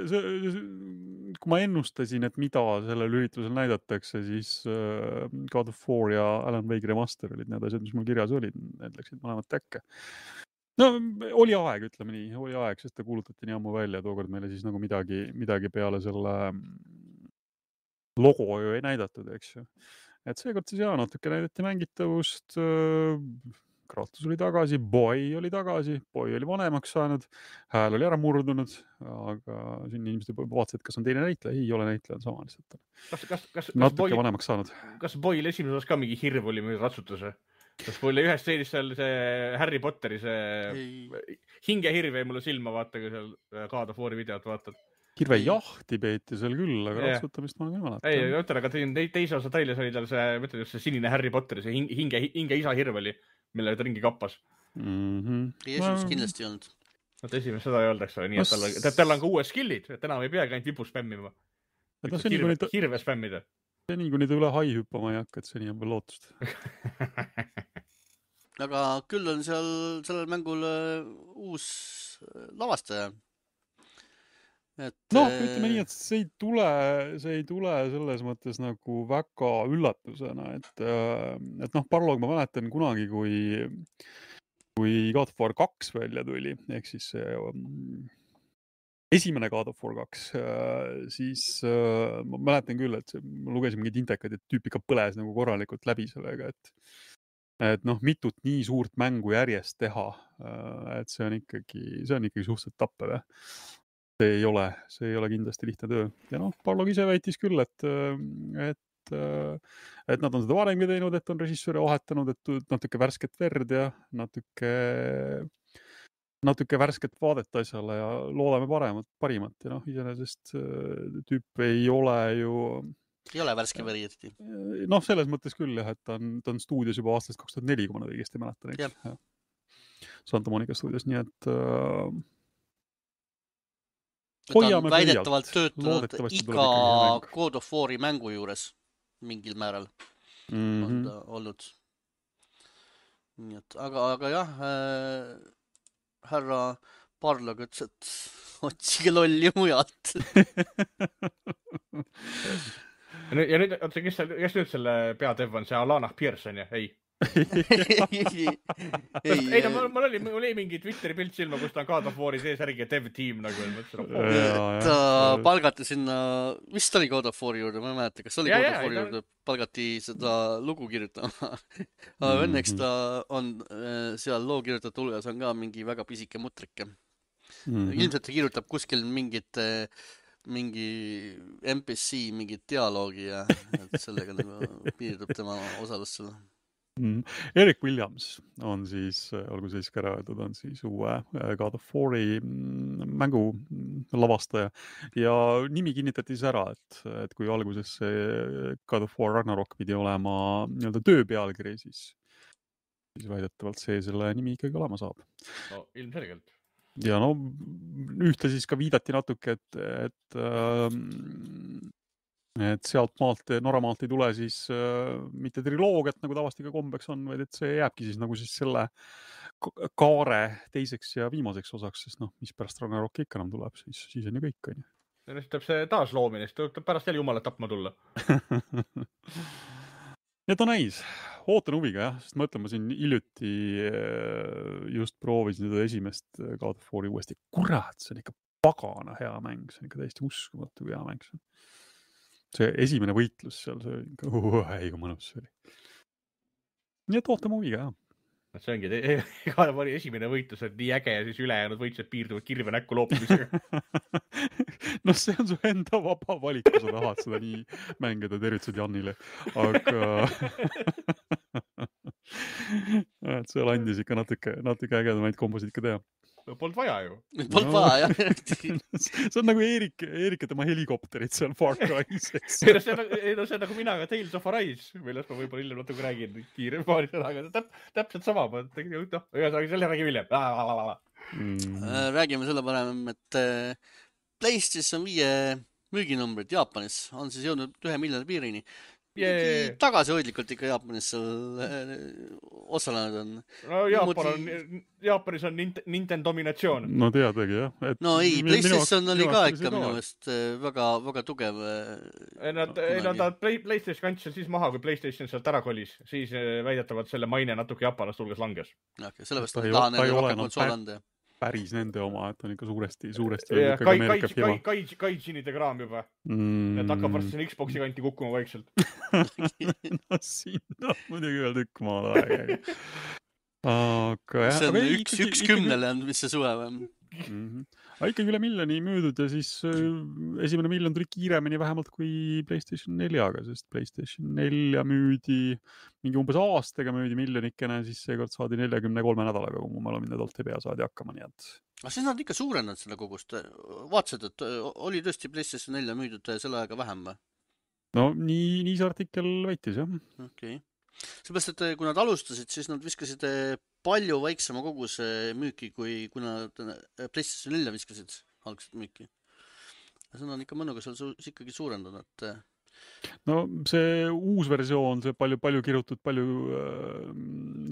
kui ma ennustasin, et mida sellel üritusel näidatakse, siis God of War ja Alan Wake Remaster olid need asjad, mis mul kirjas olid. Need läksid mõlemad täkke. No, oli aeg, ütleme nii. Sest ta kuulutati nii ammu välja. Tookord meile siis nagu midagi peale selle logo ju ei näidatud, eks ju. Et seekord siis natuke näidati mängitavust. Kratos oli tagasi, Boy oli tagasi, Boy oli vanemaks saanud, hääl oli ära murdunud, aga siin inimesed vaatasid, kas on teine näitleja, ei ole näitleja, on sama lihtsalt. Natuke vanemaks saanud. Kas Boyl esimeses osas ka mingi hirv oli mingi ratsutuse? Kas Boyl ühes seenis seal see Harry Potteri see hingehirv jäi mulle silma, vaata, kui seal God of War'i videot vaatad. Hirve jahti peeti seal küll, aga ratsutamist ma olen võimalata. Ei, ütlen, aga teise osa trailis oli tal see, mõtled just see sinine Harry Potteri, see hinge isa hirv oli, mille ta ringi kappas. Esimest kindlasti ei olnud. Esimest seda ei olnud, eks ole, nii et tal on ka uued skillid, et enam ei peagi ainult vipu spämmima. Hirve spämmida. See nii, kui nüüd üle hai hüppama ei hakka, et see nii on veel lootust. Aga küll on sellel mängul uus lavastaja. Ütleme nii, et see ei tule selles mõttes nagu väga üllatusena, et Parlog ma mäletan kunagi, kui God of War 2 välja tuli, ehk siis esimene God of War 2, siis ma mäletan küll, et ma lugesin mingid intekad, et tüüp ikka põles nagu korralikult läbi sellega, et mitut nii suurt mängu järjest teha, et see on ikkagi suhteliselt tappev. See ei ole kindlasti lihtne töö. Ja Parlog ise väitis küll, et nad on seda varemgi teinud, et on režissööre vahetanud, et natuke värsket verd ja natuke värsket vaadet asjale ja loodame parimat. Ja iseenesest tüüp ei ole ju... Ei ole värske veri eriti. Selles mõttes küll, jah, et ta on stuudios juba aastast 2004, kui ma nad õigesti mäletan. Santa Monica stuudios, nii et... Ta on väidetavalt töötanud iga God of War'i mängu juures mingil määral on ta olnud. nii et, aga jah, härra Parlog ütles, et otsige lolli mujalt. Ja nüüd, oota, kes nüüd selle peadev on, see Alana Pearson, jah? Ei. Ei, no mul oli mingi Twitteri pilt silma, kus ta on God of War'i sees järgi ja dev team nagu. Ta palgati sinna, vist oli God of War'i juurde, ma ei mäleta, kas oli God of War'i juurde, palgati seda lugu kirjutama. Õnneks ta on seal loo kirjutatud hulgas on ka mingi väga pisike mutrike. Ilmselt ta kirjutab kuskil mingi NPC, mingit dialoogi ja sellega nagu piirdub tema osalus selle. Eric Williams on siis, olgu siis ka ära öeldud, on siis uue God of War'i mängu lavastaja ja nimi kinnitati siis ära, et kui alguses see God of War Ragnarok pidi olema nii-öelda töö pealkiri, siis väidetavalt see selle nimi ikkagi olema saab. No ilmselgelt. Ja no ühte siis ka viidati natuke, et sealt maalt, Norramaalt ei tule siis mitte triloogiat, nagu tavasti ka kombeks on, vaid et see jääbki siis nagu siis selle kaare teiseks ja viimaseks osaks, sest noh, mis pärast Ragnarok ikka enam tuleb, siis on ju kõik, on ju. Ja nüüd tuleb see taasloomine, siis tuleb pärast jälle jumalat tapma tulla. Need on näis. Ootan huviga, jah, sest mõtlen, ma siin hiljuti just proovisin seda esimest God of War'i uuesti. Kurat, see on ikka pagana hea mäng, see on ikka täiesti uskumatu hea mäng. See esimene võitlus seal, see ei kui mõnus see oli. Nii et ootame huviga, jah. See ongi, God of War'i esimene võitlus on nii äge ja siis ülejäänud võitlused piirduvad kirve näkku loopimisega. No see on su enda vaba valik, kui sa tahad seda nii mängida, tervitused Jannile. Aga et seal andis ikka natuke ägedamaid kombosid ikka teha. Polnud vaja ju. Polnud vaja, jah. See on nagu Eerik ja tema helikopterid seal Far Cry's. See on nagu mina ka Tales of Arise, millest ma võib-olla hiljem natuke räägin kiire paari sõnaga. Täpselt sama. Ühesõnaga, selle räägime hiljem. Räägime selle parem, et PlayStation 5 müüginumbrid Jaapanis on siis jõudnud 1 miljoni piirini. Tagasihoidlikult ikka Jaapanis osalenud on. No Jaapanis on Nintendo dominatsioon. No teadagi, jah. No ei, PlayStation oli ka ikka minu meelest väga tugev. Ta PlayStation kandis siis maha, kui PlayStation sealt ära kolis. Siis väidetavalt selle maine natuke Jaapanast hulgas langes. Sellepärast ta taha nende rohkem konsool anda. Päris nende oma, et on ikka suuresti Kaijinide kraam juba. Et hakkab varsti siin Xboxi kanti kukkuma vaikselt. No siin on muidugi veel tükk maal aega. See on üks 10 on, mis see suve või? Ikkagi üle miljoni müüdud ja siis esimene miljon tuli kiiremini vähemalt kui PlayStation 4-ga, sest PlayStation 4 müüdi mingi umbes aastaga müüdi miljonikene, siis seekord saadi 43 nädalaga, kui mu mälu mind edalt ei pea saadi hakkama, nii et. Aga siis nad ikka suurendanud selle kogust. Vaatasid, et oli tõesti PlayStation 4 müüdud selle ajaga vähem või? No nii see artikkel väitis, jah. Okei. Seepärast, et kui nad alustasid, siis nad viskasid palju väiksema koguse müüki, kui nad PlayStation 4 viskasid algselt müüki. Ja see on ikka mõnuga seal ikkagi suurendanud. No see uus versioon, see palju kirjutud,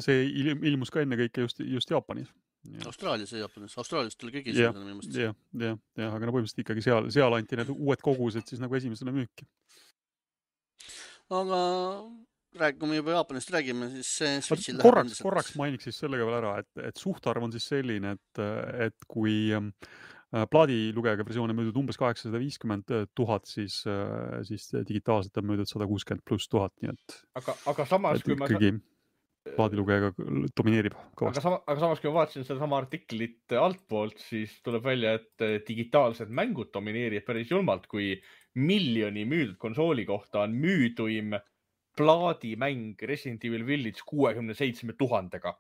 see ilmus ka enne kõike just Jaapanis. Austraalias ja Jaapanis. Austraalias tuli kõigi esimesena minu mõttes. Jah, aga no põhimõtteliselt ikkagi seal anti need uued kogused siis nagu esimesena müüki. Aga kui me juba Jaapanist räägime, siis Switchil korraks mainiks siis sellega veel ära, et suhtarv on siis selline, et kui plaadilugejaga versioon on müüdud umbes 850 000, siis digitaalselt on müüdud 160 plus 1000, nii et aga samas, kui ma ikkagi plaadilugejaga domineerib kõvasti. Aga samas, kui ma vaatasin seda sama artiklit altpoolt, siis tuleb välja, et digitaalsed mängud domineerib päris julmalt, kui miljoni müüdud konsooli kohta on müüduim plaadimäng Resident Evil Village 67 000-ga.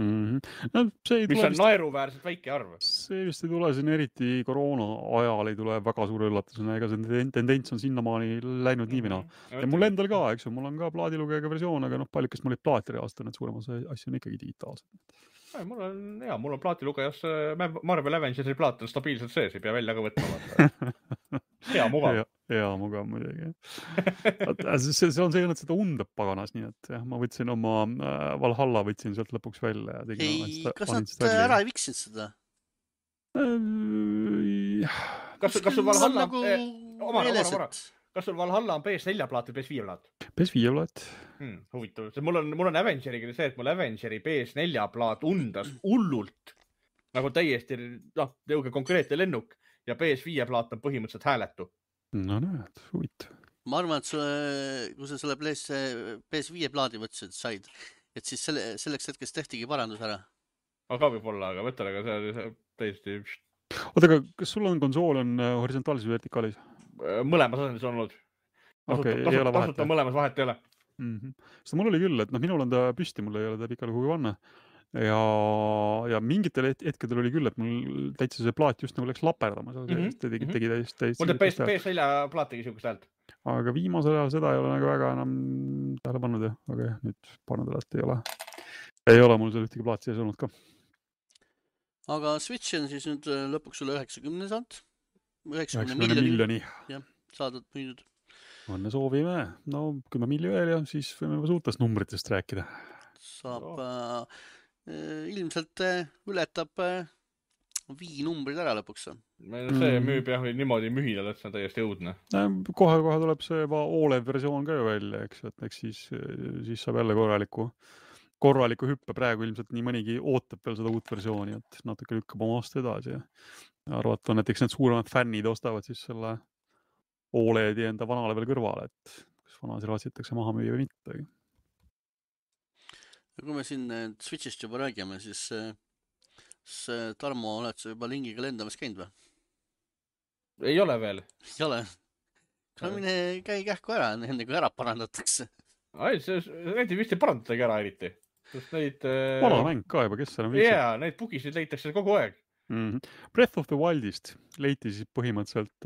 No, mis on naeruväärselt väike arv. See vist ei tule siin eriti koroona ajal ei tule väga suure üllatusena, ega see tendents on sinnamaani läinud nii mina. Ja mul endal ka, eks ju, mul on ka plaadilugejaga versioon, aga paljukest mul olid plaati reaalselt, need suuremas asju on ikkagi digitaalsed. Mul on plaatilugejas Marvel Avengersi plaat on stabiilselt sees, ei pea välja ka võtma. Hea mugav. Jaa, mugav muidugi. See on see õnnet seda undab paganas, nii et jah, ma võtsin oma Valhalla võtsin sealt lõpuks välja ja tegin ei, kas nad ära ei viksinud seda? Kas sul Valhalla nagu kas sul Valhalla on PS4 plaat või PS5 plaat? PS5 plaat. Huvitav. Mul on Avengeriga see, et mul Avengeri PS4 plaat undas hullult nagu täiesti jõuge konkreetne lennuk ja PS5 plaat on põhimõtteliselt hääletu. No näed, huvitav. Ma arvan, et kui sa selle PS5 plaadi võtsid, said, et siis selleks hetkest tehtigi parandus ära. Aga võib-olla, aga mõtlen, aga see täiesti... Oota, aga kas sul on konsool on horisontaalis või vertikaalis? Mõlemas asendis on olnud. Tasuta mõlemas vahet ei ole. Sest mul oli küll, et minul on ta püsti, mul ei ole ta pikale kuhugi panna. Ja mingitel hetkedel oli küll, et mul täitsa see plaat just nagu läks laperdama. Tegi täiesti. Mul teeb PS4 plaat tegi siukest häält. Aga viimasel ajal seda ei ole nagu väga enam tähele pannud. Aga jah, nüüd pannud ei ole. Ei ole mul seal ühtegi plaat sees olnud ka. Aga Switch on siis nüüd lõpuks üle 90 saanud. 90 miljoni. Jah, saadud müüdud. Õnne soovime. No 10 miljoni veel ja siis võime suurtest numbritest rääkida. Saab ilmselt ületab Wii numbrid ära lõpuks. See müüb jah niimoodi mühidal, et see on täiesti õudne. Kohe tuleb see OLED versioon ka ju välja, eks, et eks siis saab jälle korraliku hüppe. Praegu ilmselt nii mõnigi ootab veel seda uut versiooni, et natuke lükkab oma aasta edasi ja arvata on, et eks need suuremad fännid ostavad siis selle OLED-i enda vanale veel kõrvale, et kas vana see ratsitakse maha müüa või mitte. Kui me siin Switchist juba räägime, siis Tarmo, oled sa juba lingiga lendamas käinud või? Ei ole veel. Ei ole? Mine käi kähku ära, enne kui ära parandatakse. Neid vist ei parandatagi ära eriti. Vana mäng ka juba, kes seal on viiksed? Jaa, neid bugisid leitakse kogu aeg. Breath of the Wildist leiti siis põhimõtteliselt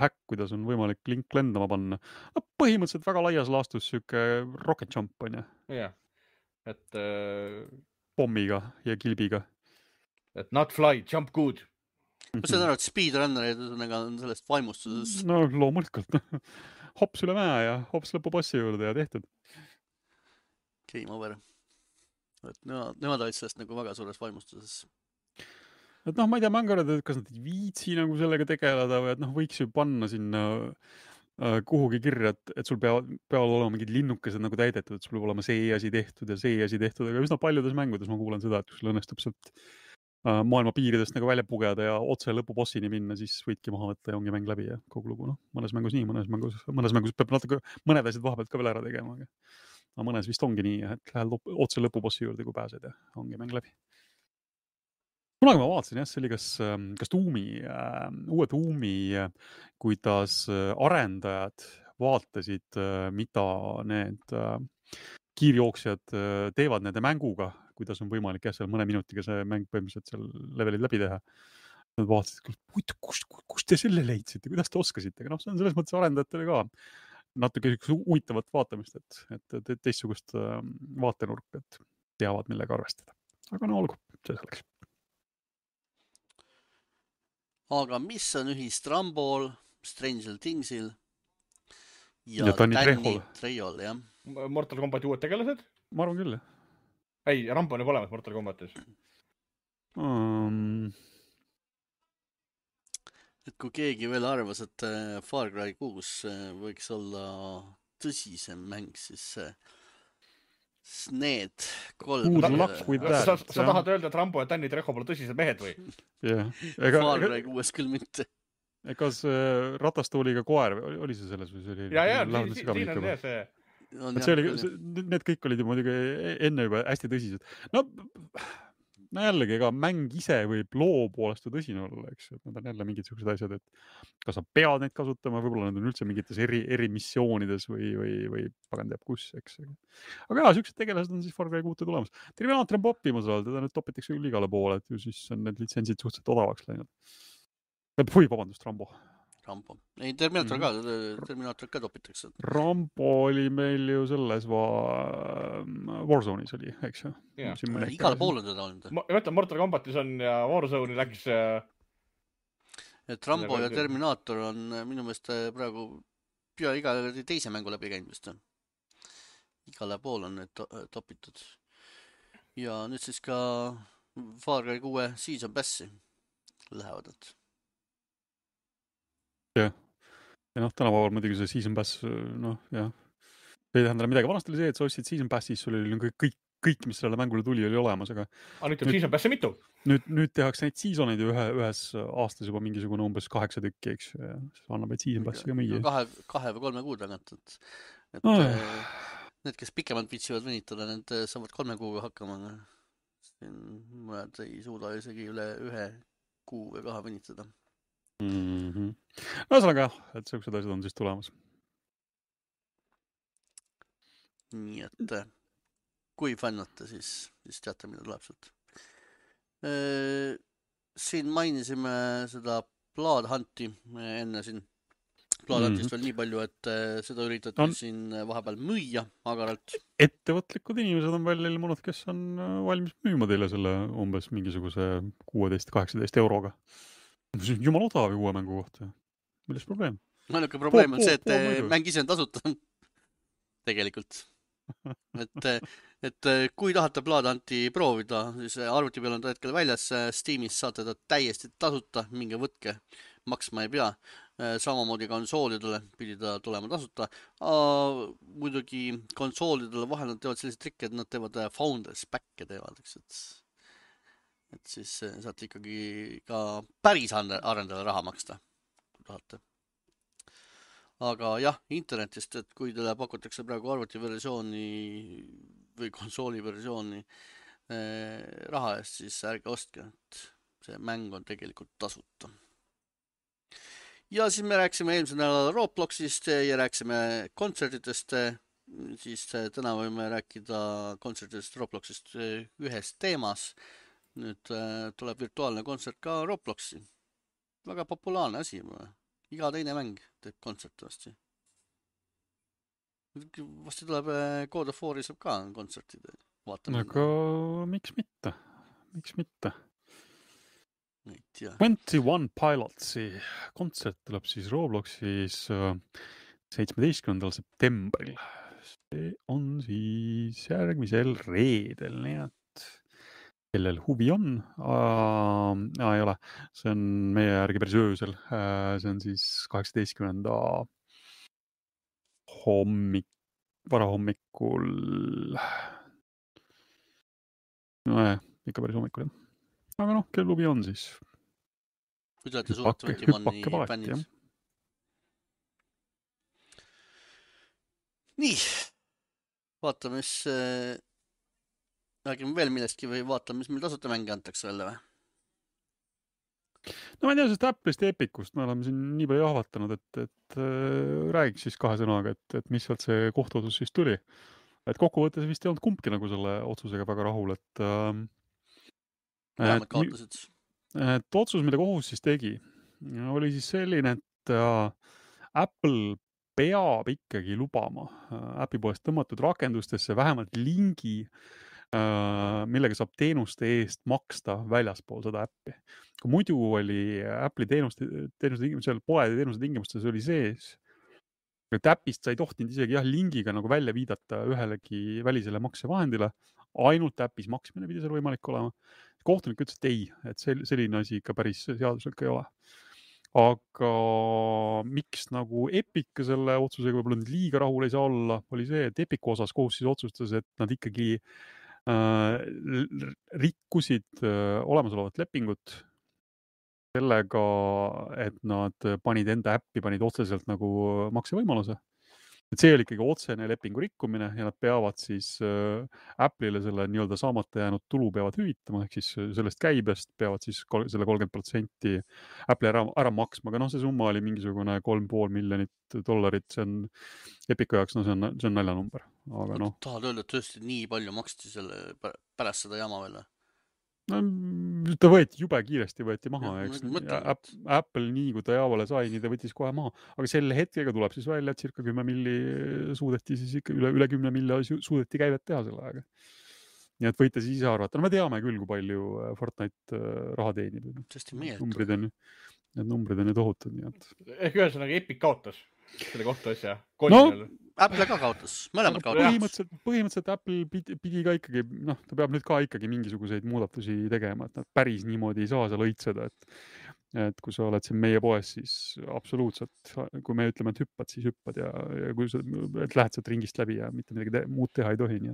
häkk, kuidas on võimalik link lendama panna. Põhimõtteliselt väga laias laastus süke rocket jump on ja? Jah. Et pommiga ja kilbiga. Et not fly, jump good. Ma saan aru, et speedrunnerid on sellest vaimustuses. No loomulikult. Hops üle mäe ja hops lõpupassi juurde ja tehtud. Game over. Et nemad olid sellest nagu väga suures vaimustuses. Et ma ei tea, ma arvan, et kas nad ei viitsi nagu sellega tegeleda või et võiks ju panna sinna kuhugi kirja, et sul peavad olema mingid linnukesed nagu täidetud, et sul peab olema see asi tehtud ja see asi tehtud, aga üsna paljudes mängudes ma kuulen seda, et kui sul õnnestub sealt maailma piiridest nagu välja pugeda ja otse lõpubossini minna, siis võidki maha võtta ja ongi mäng läbi ja kogu lugu. Mõnes mängus nii, mõnes mängus peab natuke mõned asjad vahepealt ka veel ära tegema, aga mõnes vist ongi nii, et lähed otse lõpubossi juurde, kui pääsed ja ongi mäng läbi. Kunagi ma vaatasin, jah, see oli kas uue Tuumi, kuidas arendajad vaatasid, mida need kiirjooksjad teevad nende mänguga, kuidas on võimalik seal mõne minutiga see mäng põhimõtteliselt seal levelid läbi teha. Nad vaatasid, kust te selle leidsite, kuidas te oskasite, aga see on selles mõttes arendajatele ka natuke huvitavat vaatamist, et teistsugust vaatenurk, et teavad, millega arvestada. Aga olgu, see selleks. Aga mis on ühist Rambol, Stranger Thingsil ja Danny Trejol, jah? Mortal Combati uued tegelased? Ma arvan küll, jah. Ei, Rambo on juba olemas Mortal Combatis. Et kui keegi veel arvas, et Far Cry 6 võiks olla tõsisem mäng, siis need kolm... Sa tahad öelda, et Rambo ja Danny Trejo pole tõsised mehed või? Far Cry 6 küll mitte. Kas ratastooliga koer, oli see selles või see oli? Ja, siin on see. Need kõik olid ju muidugi enne juba hästi tõsised. No jällegi, ega mäng ise võib loo poolest tõsine olla, eks, et need on jälle mingid sellised asjad, et kas sa pead neid kasutama, võib-olla need on üldse mingites eri missioonides või pagan teab kus, eks. Aga jah, sellised tegelased on siis Far Cry 6 tulemas. Terminator on poppimas all, teda nüüd topitakse küll igale poole, et ju siis on need litsentsid suhteliselt odavaks läinud. Vabandust, Rambo. Ei, Terminator ka topitakse. Rambo oli meil ju selles Warzone'is oli, eks ju? Igale pool on teda olnud. Ma mõtlen, Mortal Combatis on ja Warzone'i läks... Et Rambo ja Terminator on minu meelest praegu pea iga teise mängu läbi käinud vist. Igale pool on need topitud. Ja nüüd siis ka Far Cry 6 Season Passi lähevad. Jah. Ja tänapäeval muidugi see Season Pass, jah. Ei tähendab midagi. Vanasti oli see, et sa ostsid Season Passis, sul oli kõik, mis sellele mängule tuli, oli olemas, aga nüüd on Season Passi mitu? Nüüd tehakse neid seasoneid ju ühes aastas juba mingisugune umbes 8 tükki, eks. Annab neid Season Passi ka müüa. 2 või 3 kuu tagant, et need, kes pikemalt viitsivad venitada, need saavad 3 kuuga hakkama. Mõned ei suuda isegi üle 1 kuu või 2 venitada. Ühesõnaga, et sellised asjad on siis tulemas. Nii et kui fännate, siis teate, mida tuleb sealt. Siin mainisime seda Blood Hunti enne siin. Blood Huntist veel nii palju, et seda üritati siin vahepeal müüa agaralt. Ettevõtlikud inimesed on veel ilmunud, kes on valmis müüma teile selle umbes mingisuguse 16-18 euroga. Jumal odav uue mängu kohta. Milles probleem? Ainuke probleem on see, et mäng ise on tasuta. Tegelikult. Et kui tahate Blood Hunti proovida, siis arvuti peal on ta hetkel väljas, Steamis saate ta täiesti tasuta, minge võtke, maksma ei pea. Samamoodi konsoolidele pidi ta tulema tasuta. Muidugi konsoolidele vahel nad teevad sellised trikke, et nad teevad Founders Back'e teevad, et siis saate ikkagi ka päris arendajale raha maksta, kui tahate. Aga jah, internetist, et kui teile pakutakse praegu arvutiversiooni või konsooliversiooni raha eest, siis ärge ostke, et see mäng on tegelikult tasuta. Ja siis me rääksime eelmisel nädalal Robloxist ja rääksime kontsertidest, siis täna võime rääkida kontsertidest Robloxist ühes teemas. Nüüd tuleb virtuaalne kontsert ka Robloxi. Väga populaarne asi. Iga teine mäng teeb kontsert vasti. Vasti tuleb God of War'i saab ka kontsertide. Aga miks mitte? 21 Pilotsi kontsert tuleb siis Robloxis 17. septembril. See on siis järgmisel reedel, nii et kellel huvi on, ei ole, see on meie järgi päris öösel, see on siis 18. varahommikul, ikka päris hommikul, jah. Aga kellel huvi on siis? Kui te olete suured 21 fännid. Nii, vaatame, mis räägime veel millestki või vaatame, mis meil tasuta mänge antakse välja või? No ma ei tea, sest Apple'ist ja Epicust me oleme siin nii palju jahvatanud, et räägiks siis 2 sõnaga, et mis sealt see kohtuotsus siis tuli. Et kokkuvõttes vist ei olnud kumbki nagu selle otsusega väga rahul, et vähemalt kaotasid. Et otsus, mida kohus siis tegi, oli siis selline, et Apple peab ikkagi lubama äpi poest tõmmatud rakendustesse vähemalt lingi, millega saab teenuste eest maksta väljaspool seda äppi. Kui muidu oli Apple'i teenuste tingimustel, poede teenuste tingimustes oli sees, et äpist sa ei tohtinud isegi lingiga nagu välja viidata ühelegi välisele maksevahendile, ainult äpis maksmine pidi seal võimalik olema. Kohtunik ütles, et ei, et selline asi ikka päris seaduslik ei ole. Aga miks nagu Epic selle otsusega võib-olla nüüd liiga rahul ei saa olla, oli see, et Epicu osas kohus siis otsustas, et nad ikkagi rikkusid olemasolevat lepingut sellega, et nad panid enda äppi, panid otseselt nagu maksevõimaluse. Et see oli ikkagi otsene lepingu rikkumine ja nad peavad siis Apple'ile selle nii-öelda saamata jäänud tulu peavad hüvitama, ehk siis sellest käibest peavad siis selle 30% Apple'i ära maksma, aga see summa oli mingisugune $3,5 miljonit, see on Epicu jaoks, see on naljanumber. Aga tahad öelda, et tõesti nii palju maksti selle pärast seda jama veel? Ta jube kiiresti võeti maha, eks. Apple nii, kui ta jaavale sai, nii ta võttis kohe maha. Aga selle hetkega tuleb siis välja, et circa 10 milli suudeti siis ikka üle 10 milli suudeti käivet teha selle aega. Nii et võite siis ise arvata. Me teame küll, kui palju Fortnite raha teenib. Need numbrid on ju tohutud. Ehk ühesõnaga Epic kaotas. selle kohtuasja. Apple ka kaotas, mõlemad kaotas. Põhimõtteliselt Apple pidi ka ikkagi, ta peab nüüd ka ikkagi mingisuguseid muudatusi tegema, et nad päris niimoodi ei saa seal õitseda, et kui sa oled siin meie poes, siis absoluutselt, kui me ütleme, et hüppad, siis hüppad ja kui sa lähed sealt ringist läbi ja mitte midagi muud teha ei tohi, nii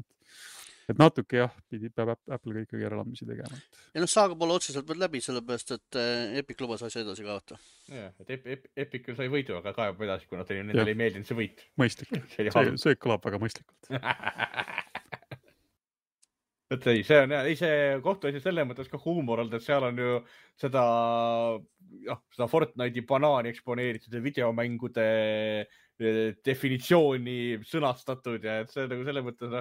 et natuke jah, peab Apple ka ikkagi järeleandmisi tegema. Ja saaga pole otseselt veel läbi, sellepärast, et Epic lubas asja edasi kaota. Jah, et Epic sai võidu, aga kaebab edasi, kuna nendele ei meeldinud see võit. Mõistlik. See kõlab väga mõistlikult. et ei, see kohtuasi selles mõttes ka huumor olnud, et seal on ju seda Fortnite'i banaani eksponeeritud ja videomängude definitsiooni sõnastatud ja et see nagu selles mõttes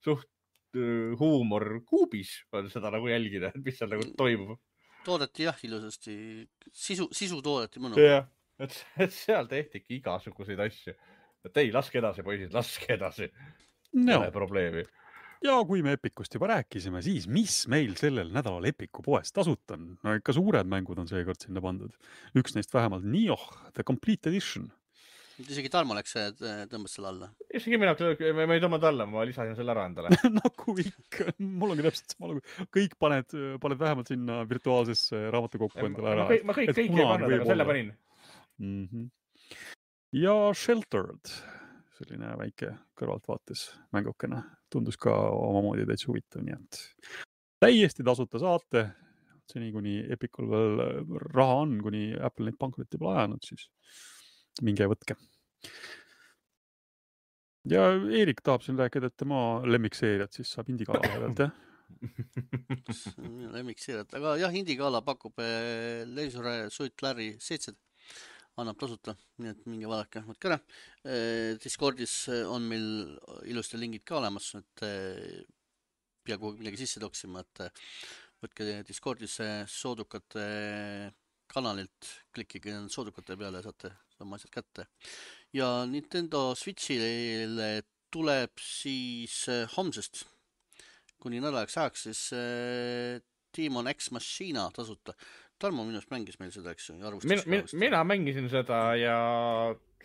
suht huumor kuubis on seda nagu jälgida, et mis seal nagu toimub. Toodeti jah ilusasti, sisu toodeti mõnu. Jah, et seal tehtigi igasuguseid asju. Et ei, laske edasi, poisid, laske edasi. Pole probleemi. Ja kui me Epicust juba rääkisime, siis mis meil sellel nädalal Epicu poes tasuta on? No ikka suured mängud on seekord sinna pandud. Üks neist vähemalt Nioh, The Complete Edition. Isegi Tarmo läks tõmbas selle alla. Isegi mina ei tõmmanud alla, ma lisasin selle ära endale. Nagu ikka, mul ongi täpselt sama lugu. Kõik paned vähemalt sinna virtuaalsesse raamatukokku endale ära. Ma kõik ei pannud, aga selle panin. Ja Sheltered, selline väike kõrvaltvaates mängukene, tundus ka omamoodi täitsa huvitav, nii et täiesti tasuta saate, seni kuni Epicul veel raha on, kuni Apple neid pankrotti pole ajanud, siis minge võtke. Ja Eerik tahab siin rääkida, et tema lemmikseeriat siis saab Indie Gala pealt, jah? Lemmikseeriat, aga jah, Indie Gala pakub Leisure Suit Larry 7, annab tasuta, nii et minge vaadake, võtke ära. Discordis on meil ilusti lingid ka olemas, et pea kuhugi midagi sisse toksima, et võtke Discordis soodukate kanalilt, klikkige soodukate peale ja saate oma asjad kätte. Ja Nintendo Switchile tuleb siis homsest kuni nädalaks ajaks siis Demon X Machina tasuta. Tarmo minust mängis meil seda, eks ju? Mina mängisin seda ja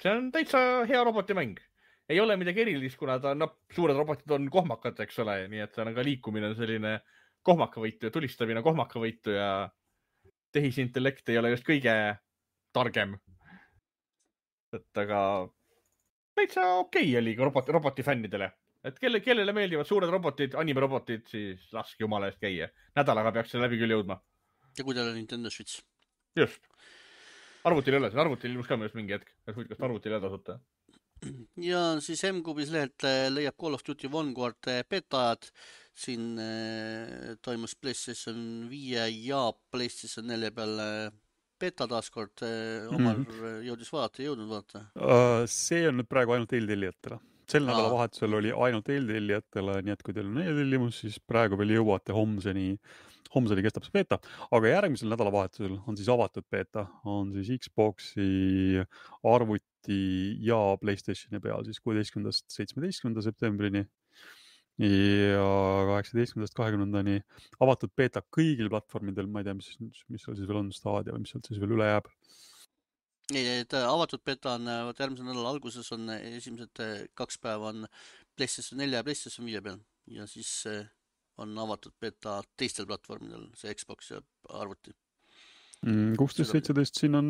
see on täitsa hea robotimäng. Ei ole midagi erilist, kuna suured robotid on kohmakad, eks ole, nii et ka liikumine on selline kohmakavõitu ja tulistamine kohmakavõitu ja tehisintellekt ei ole just kõige targem. Et aga täitsa okei oli roboti fännidele. Et kellele meeldivad suured robotid, animerobotid, siis laske jumala eest käia. Nädalaga peaks see läbi küll jõudma. Ja kui teil on Nintendo Switch? Just. Arvutil ei ole, arvutil ilmus ka mõnest mingi hetk. Kas arvutil ei tasuta? Ja siis M-Kubis lehelt leiab Call of Duty Vanguard betaad. Siin toimus PlayStation 5 ja PlayStation 4 peal beta taaskord. Omar jõudis vaadata, ei jõudnud vaadata? See on nüüd praegu ainult eeltellijatele. Sel nädala vahetusel oli ainult eeltellijatele, nii et kui teil on eeltellimus, siis praegu veel jõuate homseni kestab see beta, aga järgmisel nädala vahetusel on siis avatud beta, on siis Xboxi, arvuti ja PlayStationi peal siis 16.–17. septembrini ja 18.–20. avatud beta kõigil platvormidel, ma ei tea, mis seal siis veel on, Stadia või mis sealt siis veel üle jääb. Avatud beta on järgmise nädala alguses on esimesed 2 päeva on PlayStation 4 ja PlayStation 5 peal ja siis on avatud beta teistel platvormidel, see Xbox ja arvuti. 16.17 siin on,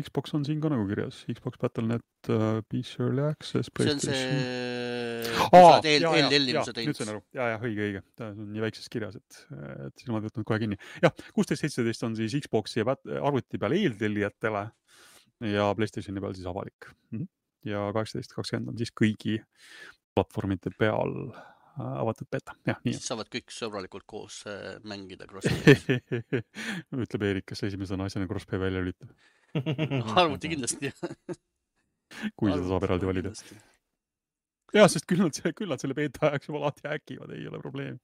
Xbox on siin ka nagu kirjas, Xbox Battle.net, PC Early Access, PlayStation. See on see eeltellimuse teinud. Nüüd sain aru, õige. Ta on nii väikses kirjas, et siin ma võtnud kohe kinni. Jah, 16.17 on siis Xboxi ja arvuti peal eeltellijatele ja PlayStationi peal siis avalik. Ja 18.20 on siis kõigi platvormide peal avatud beta. Ja, nii. Siis saavad kõik sõbralikult koos mängida crossplay. Ütleb Eerik, kes esimesena asjana crossplay välja lülitab. Arvuti kindlasti. Kui seda saab eraldi valida. Ja, sest küll nad selle beta ajaks juba lahti häkivad, ei ole probleemi.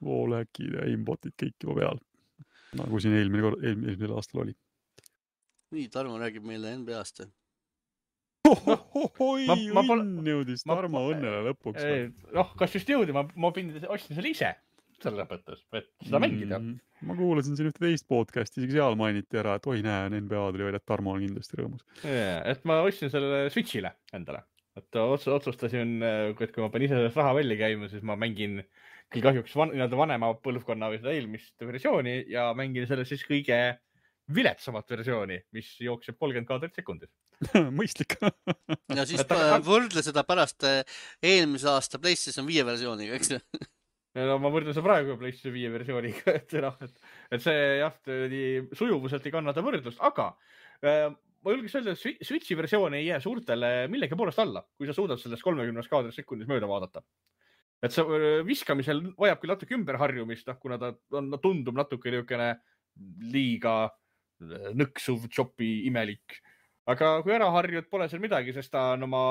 Wallhackid ja aimbotid kõik juba peal. Nagu siin eelmisel aastal oli. Nii, Tarmo räägib meile NBA-st. Õnn jõudis Tarmo õnnele lõpuks. Kas just jõudi, ma ostsin selle ise. selles mõttes, et seda mängida. Ma kuulasin siin ühte teist podcasti, isegi seal mainiti ära, et oi näe, NBA tuli välja, et Tarmo on kindlasti rõõmus. Et ma ostsin selle Switchile endale. Et otsustasin, et kui ma pean ise sellest raha välja käima, siis ma mängin küll kahjuks vanema põlvkonna või seda eelmist versiooni ja mängin selle siis kõige viletsamat versiooni, mis jookseb 30 kaadrit sekundis. Mõistlik. Ja siis võrdle seda pärast eelmise aasta PlayStation 5 versiooniga, eks ju? No ma võrdlen seda praegu PlayStation 5 versiooniga, et see jah, sujuvuselt ei kannata võrdlust, aga ma julgeks öelda, et Switchi versioon ei jää suurtele millegi poolest alla, kui sa suudad sellest 30 kaadrit sekundis mööda vaadata. Et see viskamisel vajab küll natuke ümberharjumist, kuna ta tundub natuke niisugune liiga nõksuv, chopi, imelik. Aga kui ära harjud, pole seal midagi, sest ta on oma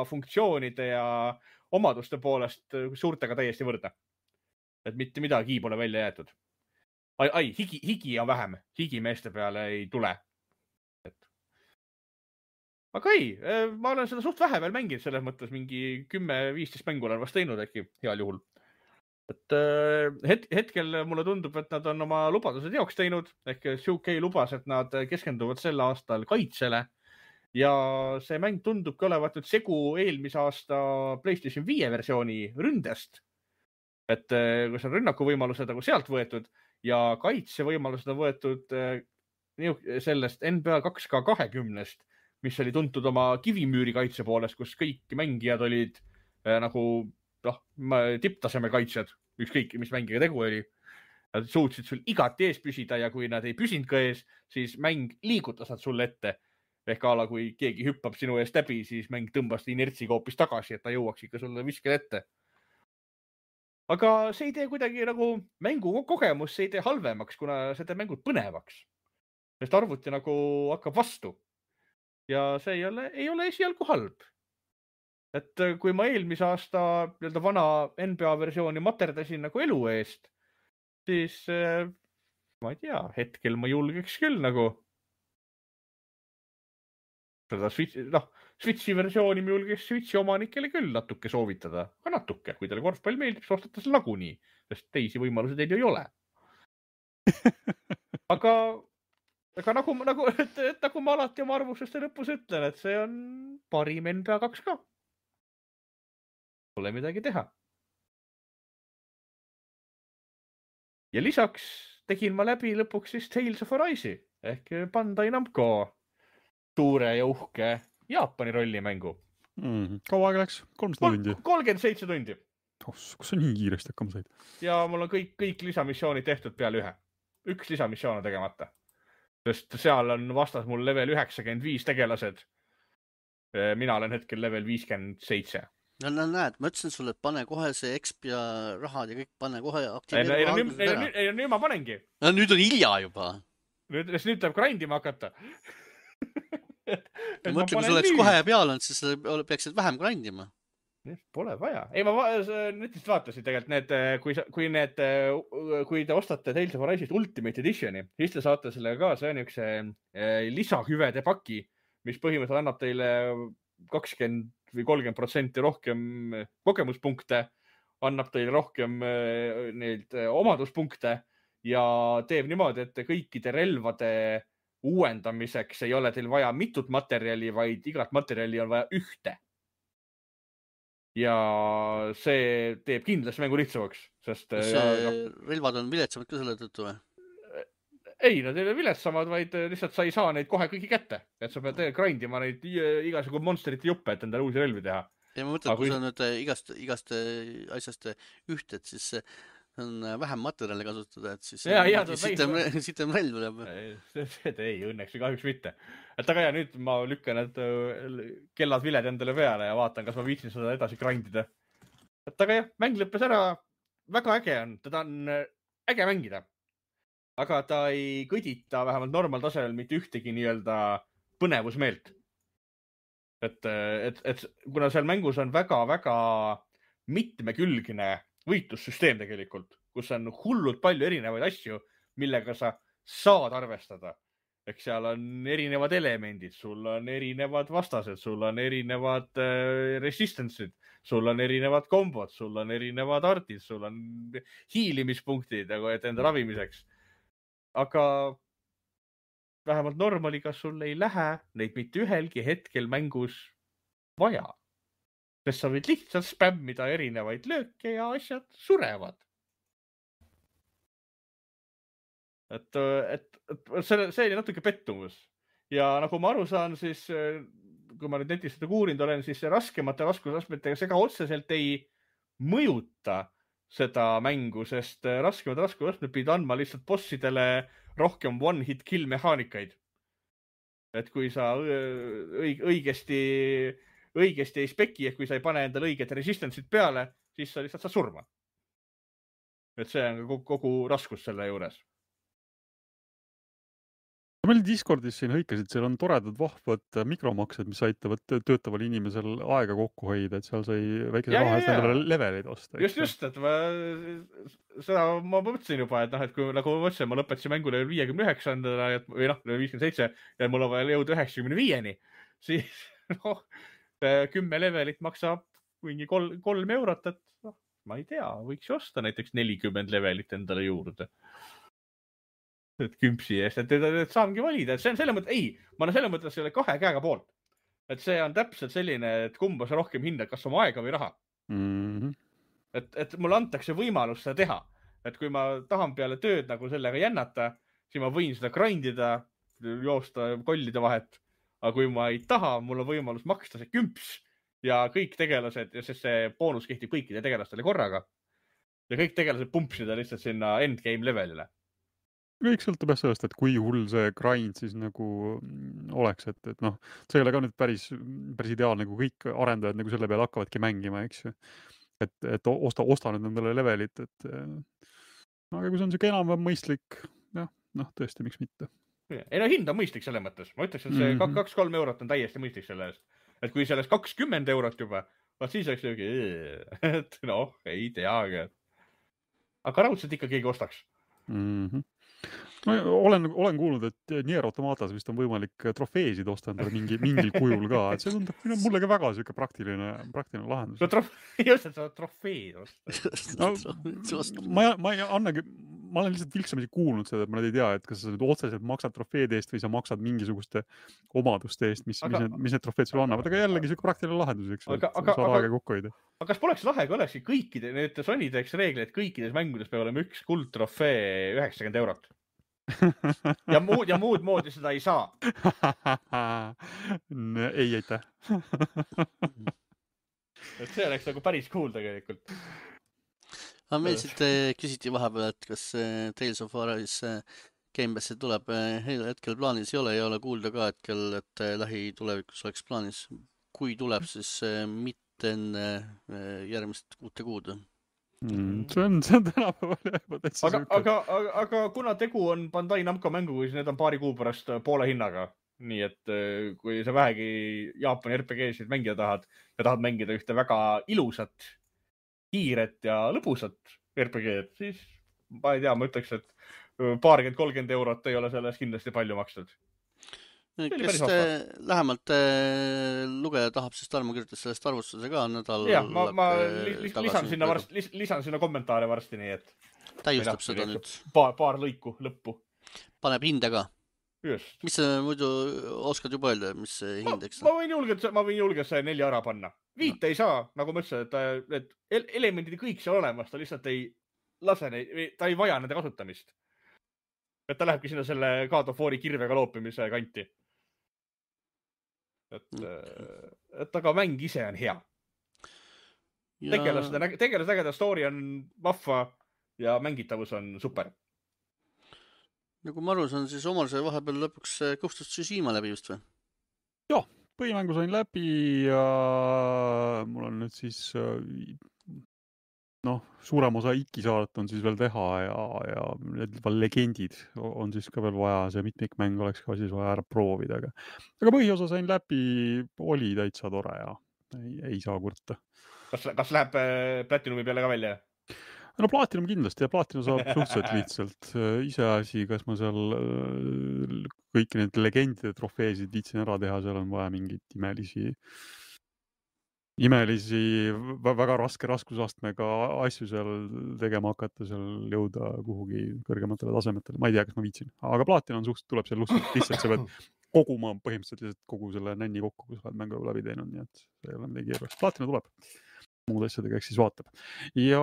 funktsioonide ja omaduste poolest suurtega täiesti võrdne. Et mitte midagi pole välja jäetud. Higi on vähem. Higi meeste peale ei tule. Aga ei, ma olen seda suht vähe veel mänginud, selles mõttes mingi 10-15 mängu olen vast teinud äkki heal juhul. Et hetkel mulle tundub, et nad on oma lubadused jaoks teinud, ehk 2K lubas, et nad keskenduvad sel aastal kaitsele ja see mäng tundubki olevat nüüd segu eelmise aasta PlayStation 5 versiooni ründest. Et kus on rünnakuvõimalused nagu sealt võetud ja kaitsevõimalused on võetud sellest NBA 2K20-st, mis oli tuntud oma kivimüüri kaitse poolest, kus kõik mängijad olid nagu tipptaseme kaitsjad, ükskõik mis mängiga tegu oli. Nad suutsid sul igati ees püsida ja kui nad ei püsinud ka ees, siis mäng liigutas nad sulle ette. Ehk ala, kui keegi hüppab sinu eest läbi, siis mäng tõmbas inertsiga hoopis tagasi, et ta jõuaks ikka sulle viskele ette. Aga see ei tee kuidagi nagu mängu kogemus, see ei tee halvemaks, kuna see teeb mängud põnevaks. Sest arvuti nagu hakkab vastu. Ja see ei ole esialgu halb. Et kui ma eelmise aasta vana NBA versiooni materdasin nagu elu eest, siis ma ei tea, hetkel ma julgeks küll nagu seda Switchi versiooni ma julgeks Switchi omanikele küll natuke soovitada. Aga natuke, kui teile korvpall meeldib, siis ostate selle nagunii, sest teisi võimalusi teil ju ei ole. Aga nagu ma alati oma arvustuste lõpus ütlen, et see on parim NBA 2K. Pole midagi teha. Ja lisaks tegin ma läbi lõpuks siis Tales of Arise ehk Bandai Namco suure ja uhke Jaapani rollimängu. Kaua aega läks? 300 tundi? 37 tundi. Kus sa nii kiiresti hakkama said? Ja mul on kõik lisamissioonid tehtud peale ühe. Üks lisamissioon on tegemata. Sest seal on vastas mul level 95 tegelased. Mina olen hetkel level 57. No näed, ma ütlesin sulle, et pane kohe see exp ja rahad ja kõik pane kohe aktiveerima. Ei, nüüd ma panengi. No nüüd on hilja juba. Nüüd tuleb grindima hakata. Mõtle, kui sul oleks kohe peal olnud, siis peaksid vähem grindima. Pole vaja. Ei, ma netist vaatasin tegelikult kui te ostate Tales of Arise'ist Ultimate Editioni, siis te saate sellega ka, see on üks lisahüvede paki, mis põhimõtteliselt annab teile 20 või 30% rohkem kogemuspunkte, annab teile rohkem omaduspunkte ja teeb niimoodi, et kõikide relvade uuendamiseks ei ole teil vaja mitut materjali, vaid igat materjali on vaja ühte. Ja see teeb kindlasti mängu lihtsamaks, sest relvad on viletsamad ka selle tõttu või? Ei, nad ei ole viletsamad, vaid lihtsalt sa ei saa neid kohe kõiki kätte. Et sa pead grindima neid igasugu monsterite juppe, et endale uusi relvi teha. Ja ma mõtlen, kui sa nüüd igast asjast ühted, siis on vähem materjali kasutada, et siis sitem relv tuleb. Ei, õnneks või kahjuks mitte. Et aga ja nüüd ma lükkan need kellad viled endale peale ja vaatan, kas ma viitsin seda edasi grindida. Et aga jah, mäng lõppes ära. Väga äge on, teda on äge mängida. Aga ta ei kõdita vähemalt normaaltasemel mitte ühtegi nii-öelda põnevusmeelt. Et kuna seal mängus on väga-väga mitmekülgne võitlussüsteem tegelikult, kus on hullult palju erinevaid asju, millega sa saad arvestada. eks seal on erinevad elemendid, sul on erinevad vastased, sul on erinevad resistance'id, sul on erinevad kombod, sul on erinevad artid, sul on hiilimispunktid, et enda ravimiseks. Aga vähemalt normaliga sul ei lähe neid mitte ühelgi hetkel mängus vaja. Sest sa võid lihtsalt spämmida erinevaid lööke ja asjad surevad. Et see oli natuke pettumus. Ja nagu ma aru saan, siis kui ma nüüd netis seda kuurinud olen, siis raskemate raskusastmetega see ka otseselt ei mõjuta seda mängu, sest raskemad raskusastmed pidid andma lihtsalt bossidele rohkem one-hit kill mehaanikaid. Et kui sa õigesti ei speki, et kui sa ei pane endale õiget resistance'it peale, siis sa lihtsalt saad surma. Et see on kogu raskus selle juures. Meil Discordis siin hõikasid, seal on toredad vahvad mikromaksed, mis aitavad töötaval inimesel aega kokku hoida, et seal sai väikese raha eest endale levelid osta. Just, et seda ma mõtlesin juba, et et kui nagu ma mõtlesin, ma lõpetasin mängule 59. või 57 ja mul on vaja jõuda 95-ni, siis 10 levelit maksab mingi 3 eurot, et ma ei tea, võiks ju osta näiteks 40 levelit endale juurde. Et kümpsi eest, et saangi valida, et see on selle mõttes, ma olen selle mõttes selle 2 käega poolt. Et see on täpselt selline, et kumba sa rohkem hindad, kas oma aega või raha. Et mulle antakse võimalus seda teha. Et kui ma tahan peale tööd nagu sellega jännata, siis ma võin seda grindida, joosta kollide vahet. Aga kui ma ei taha, mul on võimalus maksta see kümps ja kõik tegelased, sest see boonus kehtib kõikide tegelastele korraga. Ja kõik tegelased pumpsida lihtsalt sinna endgame levelile. Kõik sõltub sellest, et kui hull see grind siis nagu oleks, et see ei ole ka nüüd päris ideaalne, kui kõik arendajad nagu selle peale hakkavadki mängima, eks ju. Et osta nüüd nendele levelit, aga kui see on siuke enam mõistlik, tõesti, miks mitte. Ei hind on mõistlik selle mõttes. Ma ütleks, et see 2-3 eurot on täiesti mõistlik selle eest. Et kui sellest 20 eurot juba, siis oleks lõugi, et ei teagi. Aga raudselt ikka keegi ostaks. Ma olen kuulnud, et Nier Automatas vist on võimalik trofeesid osta endale mingil kujul ka, et see tundub mulle ka väga siuke praktiline lahendus. Just, et sa trofeed osta. Ma olen lihtsalt vilksamisi kuulnud seda, et ma ei tea, et kas sa nüüd otseselt maksad trofeede eest või sa maksad mingisuguste omaduste eest, mis need trofeed sulle annavad, aga jällegi siuke praktiline lahendus, eks, et saad aega kokku hoida. Aga kas poleks lahe, kui olekski kõikide, need Sony teeks reegli, et kõikides mängudes peab olema üks kuldtrofee 90 eurot. Ja muud moodi seda ei saa. Ei, aitäh. Et see oleks nagu päris cool tegelikult. Aga meil siit küsiti vahepeal, et kas Tales of Arise Game Passi tuleb hetkel plaanis ei ole kuulda ka hetkel, et lähitulevikus oleks plaanis. Kui tuleb, siis mitte enne järgmist 6 kuud. See on tänapäeval juba täitsa süükad. Aga kuna tegu on Bandai Namco mängu, siis need on paari kuu pärast poole hinnaga. Nii et kui sa vähegi Jaapani RPG-sid mängida tahad ja tahad mängida ühte väga ilusat, kiiret ja lõbusat RPG-d, siis ma ei tea, ma ütleks, et 20-30 eurot ei ole sellest kindlasti palju makstud. Kes lähemalt lugeja tahab, siis Tarmo kirjutas sellest arvustuse ka nädal. Jah, ma lisan sinna kommentaare varsti, nii et täiustab seda nüüd. Paar lõiku lõppu. Paneb hinde ka. Just. Mis sa muidu oskad juba öelda, mis hindeks? Ma võin julgelt see 4 ära panna. 5 ei saa, nagu ma ütlesin, et elemendid kõik seal olemas, ta lihtsalt ei lase neid, ta ei vaja nende kasutamist. Et ta lähebki sinna selle God of War'i kirvega loopimise kanti. Et aga mäng ise on hea. Tegelased ägeda story on vahva ja mängitavus on super. Nagu ma aru saan, siis Omar sai vahepeal lõpuks Ghost of Tsushima läbi just või? Jah, põhimängu sain läbi ja mul on nüüd siis suurem osa Iki-saadet on siis veel teha ja need legendid on siis ka veel vaja, see mitmikmäng oleks ka siis vaja ära proovida, aga põhiosa sain läbi, oli täitsa tore ja ei saa kurta. Kas läheb Platinumi peale ka välja? No Platinum kindlasti ja Platinum saab suhteliselt lihtsalt iseasi, kas ma seal kõiki need legendide trofeesid viitsin ära teha, seal on vaja mingeid imelisi, väga raske raskusastmega asju seal tegema hakata, seal jõuda kuhugi kõrgematele tasemetele. Ma ei tea, kas ma viitsin, aga Platinum tuleb seal lihtsalt, sa pead koguma põhimõtteliselt kogu selle nänni kokku, kus oled mängu läbi teinud, nii et see ei ole midagi keerukas. Platinum tuleb. Muud asjadega eks siis vaatab. Ja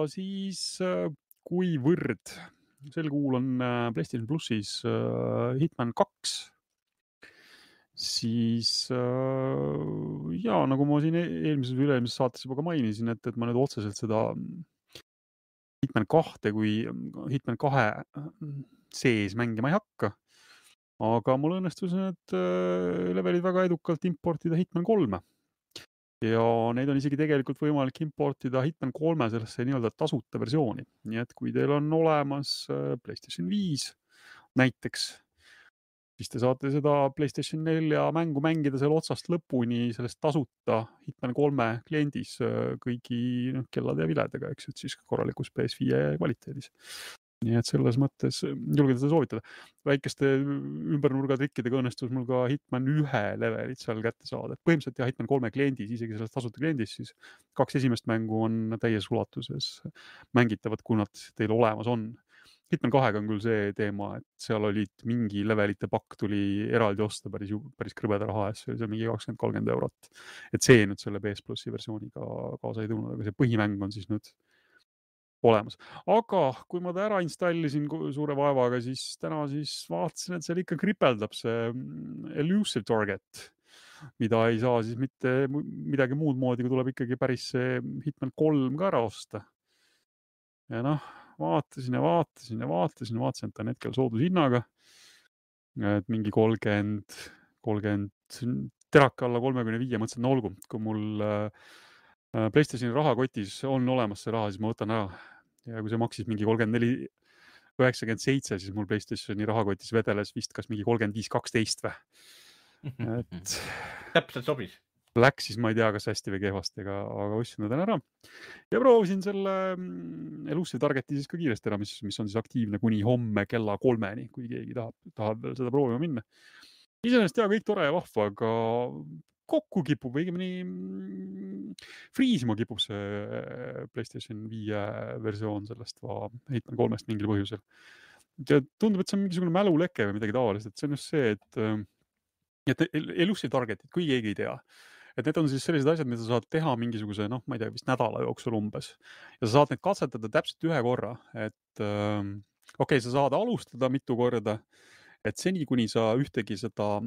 siis kuivõrd sel kuul on PlayStation Plussis Hitman 2, siis ja nagu ma siin eelmises või üle-eelmises saates juba ka mainisin, et ma nüüd otseselt seda Hitman 2 kui Hitman 2 sees mängima ei hakka, aga mul õnnestus need levelid väga edukalt importida Hitman 3. Ja neid on isegi tegelikult võimalik importida Hitman 3 sellesse nii-öelda tasuta versiooni. Nii et kui teil on olemas PlayStation 5 näiteks, siis te saate seda PlayStation 4 mängu mängida seal otsast lõpuni sellest tasuta Hitman 3 kliendis kõigi kellade ja viledega, eks, et siis korralikus PS5 kvaliteedis. Nii et selles mõttes julgen seda soovitada. Väikeste ümbernurgatrikkidega õnnestus mul ka Hitman 1 levelit seal kätte saada. Põhimõtteliselt Hitman 3 kliendis, isegi selles tasuta kliendis, siis 2 esimest mängu on täies ulatuses mängitavad, kui nad teil olemas on. Hitman 2 on küll see teema, et seal olid mingi levelite pakk tuli eraldi osta päris krõbeda raha eest, see oli seal mingi 20-30 eurot. Et see nüüd selle PS Plussi versiooniga kaasa ei tulnud, aga see põhimäng on siis nüüd olemas. Aga kui ma ta ära installisin suure vaevaga, siis täna siis vaatasin, et seal ikka kripeldab see Elusive Target, mida ei saa siis mitte midagi muud moodi, kui tuleb ikkagi päris see Hitman 3 ka ära osta. Ja noh, vaatasin, et ta on hetkel soodushinnaga, et mingi 30 terake alla 35, mõtlesin, no olgu, kui mul PlayStationi rahakotis on olemas see raha, siis ma võtan ära. Ja kui see maksis mingi 34,97, siis mul PlayStationi rahakotis vedeles vist kas mingi 35,12 või. Et täpselt sobis. Läks siis, ma ei tea, kas hästi või kehvasti, aga ostsin ta ära. Ja proovisin selle Elusive Targeti siis ka kiiresti ära, mis on siis aktiivne kuni homme kella 3-ni, kui keegi tahab veel seda proovima minna. Iseenesest kõik tore ja vahva, aga kokku kipub, õigemini friisima kipub see PlayStation 5 versioon sellest Hitman 3-st mingil põhjusel. Ja tundub, et see on mingisugune mäluleke või midagi taolist, et see on just see, et Elusive Targetit, kui keegi ei tea, et need on siis sellised asjad, mida sa saad teha mingisuguse, ma ei tea, vist nädala jooksul umbes. Ja sa saad need katsetada täpselt ühe korra, et okei, sa saad alustada mitu korda, et seni, kuni sa ühtegi seda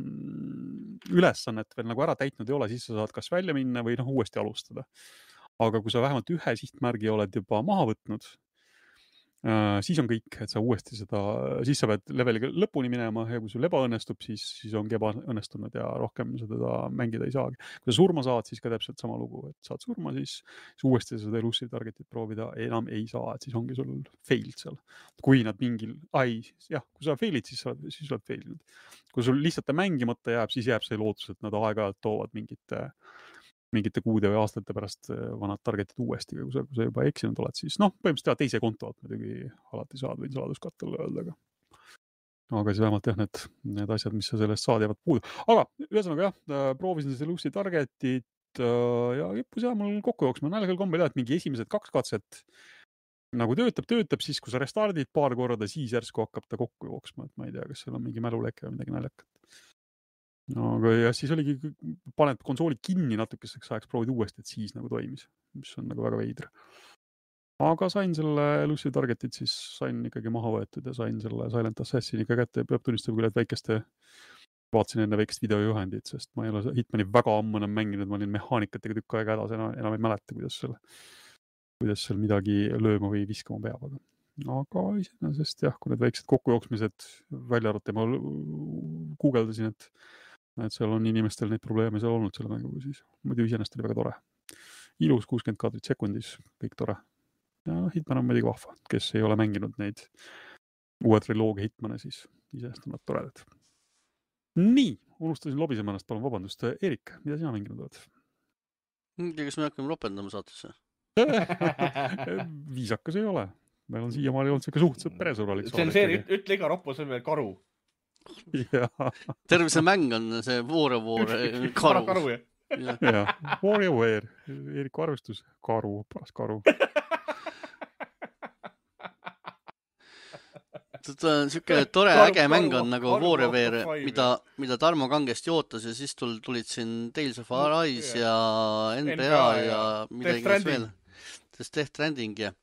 ülesannet veel nagu ära täitnud ei ole, siis sa saad kas välja minna või uuesti alustada. Aga kui sa vähemalt ühe sihtmärgi oled juba maha võtnud, siis on kõik, et sa uuesti siis sa pead leveliga lõpuni minema ja kui sul ebaõnnestub, siis ongi ebaõnnestunud ja rohkem seda mängida ei saagi. Kui sa surma saad, siis ka täpselt sama lugu, et saad surma, siis uuesti seda Elusive Targetit proovida enam ei saa, et siis ongi sul failed seal. Kui nad kui sa failid, siis oled failinud. Kui sul lihtsalt mängimata jääb, siis jääb see lootus, et nad aeg-ajalt toovad mingite kuude või aastate pärast vanad targetid uuesti, kui sa juba eksinud oled, siis põhimõtteliselt teise konto alt muidugi alati saad, võin saladuskattele öelda, aga siis vähemalt need asjad, mis sa sellest saad, jäävad puudu. Aga ühesõnaga proovisin selle Elusive Targetit ja kippus mul kokku jooksma. Nälgal kombel et mingi esimesed 2 katset nagu töötab, siis kui sa restardid paar korda, siis järsku hakkab ta kokku jooksma, et ma ei tea, kas seal on mingi mäluleke või midagi naljakat. Aga ja siis oligi, paned konsooli kinni natukeseks ajaks, proovid uuesti, et siis nagu toimis, mis on nagu väga veidra. Aga sain selle Elusive Targetit, siis sain ikkagi maha võetud ja sain selle Silent Assassini ka kätte ja peab tunnistama küll, et vaatasin enne väikest videojuhendit, sest ma ei ole Hitmani väga ammu enam mänginud, ma olin mehaanikatega tükk aega hädas, enam ei mäleta, kuidas seal midagi lööma või viskama peab, aga iseenesest kui need väiksed kokkujooksmised välja arvata, ma guugeldasin, et seal on inimestel neid probleeme seal olnud selle mänguga, siis muidu iseenesest oli väga tore. Ilus 60 kaadrit sekundis, kõik tore. Ja Hitman on muidugi vahva, kes ei ole mänginud neid uue triloogia Hitmane, siis iseenesest on nad toredad. Nii, unustasin lobisema ennast, palun vabandust. Erik, mida sina mänginud oled? Kas me hakkame lopendama saatesse? Viisakas ei ole. Meil on siiamaani olnud siuke suhteliselt peresõbralik see on see, ütle iga roppu, see on veel karu. Terve see mäng on see War karu. jah, WarioWare, Eeriku arvestus, paras karu. Siuke tore äge mäng on nagu WarioWare, mida Tarmo kangesti ootas ja siis tulid siin Tales of Arise ja NBA ja midagi veel. Death Stranding ja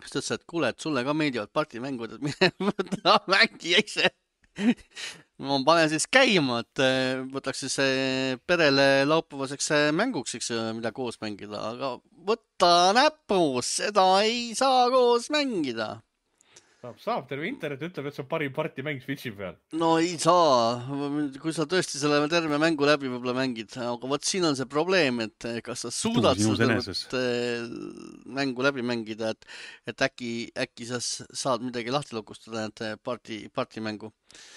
siis ütles, et kuule, et sulle ka meeldivad partimängud, et mine võta mängi ise. Ma panen siis käima, et võtaks siis perele laupäevaseks mänguks, mida koos mängida, aga võta näpus, seda ei saa koos mängida. Saab, terve internet ütleb, et see on parim partimäng Switchi peal. No ei saa, kui sa tõesti selle terve mängu läbi võib-olla mängid, aga vot siin on see probleem, et kas sa suudad seda mängu läbi mängida, et äkki sa saad midagi lahti lukustada, et partimängu.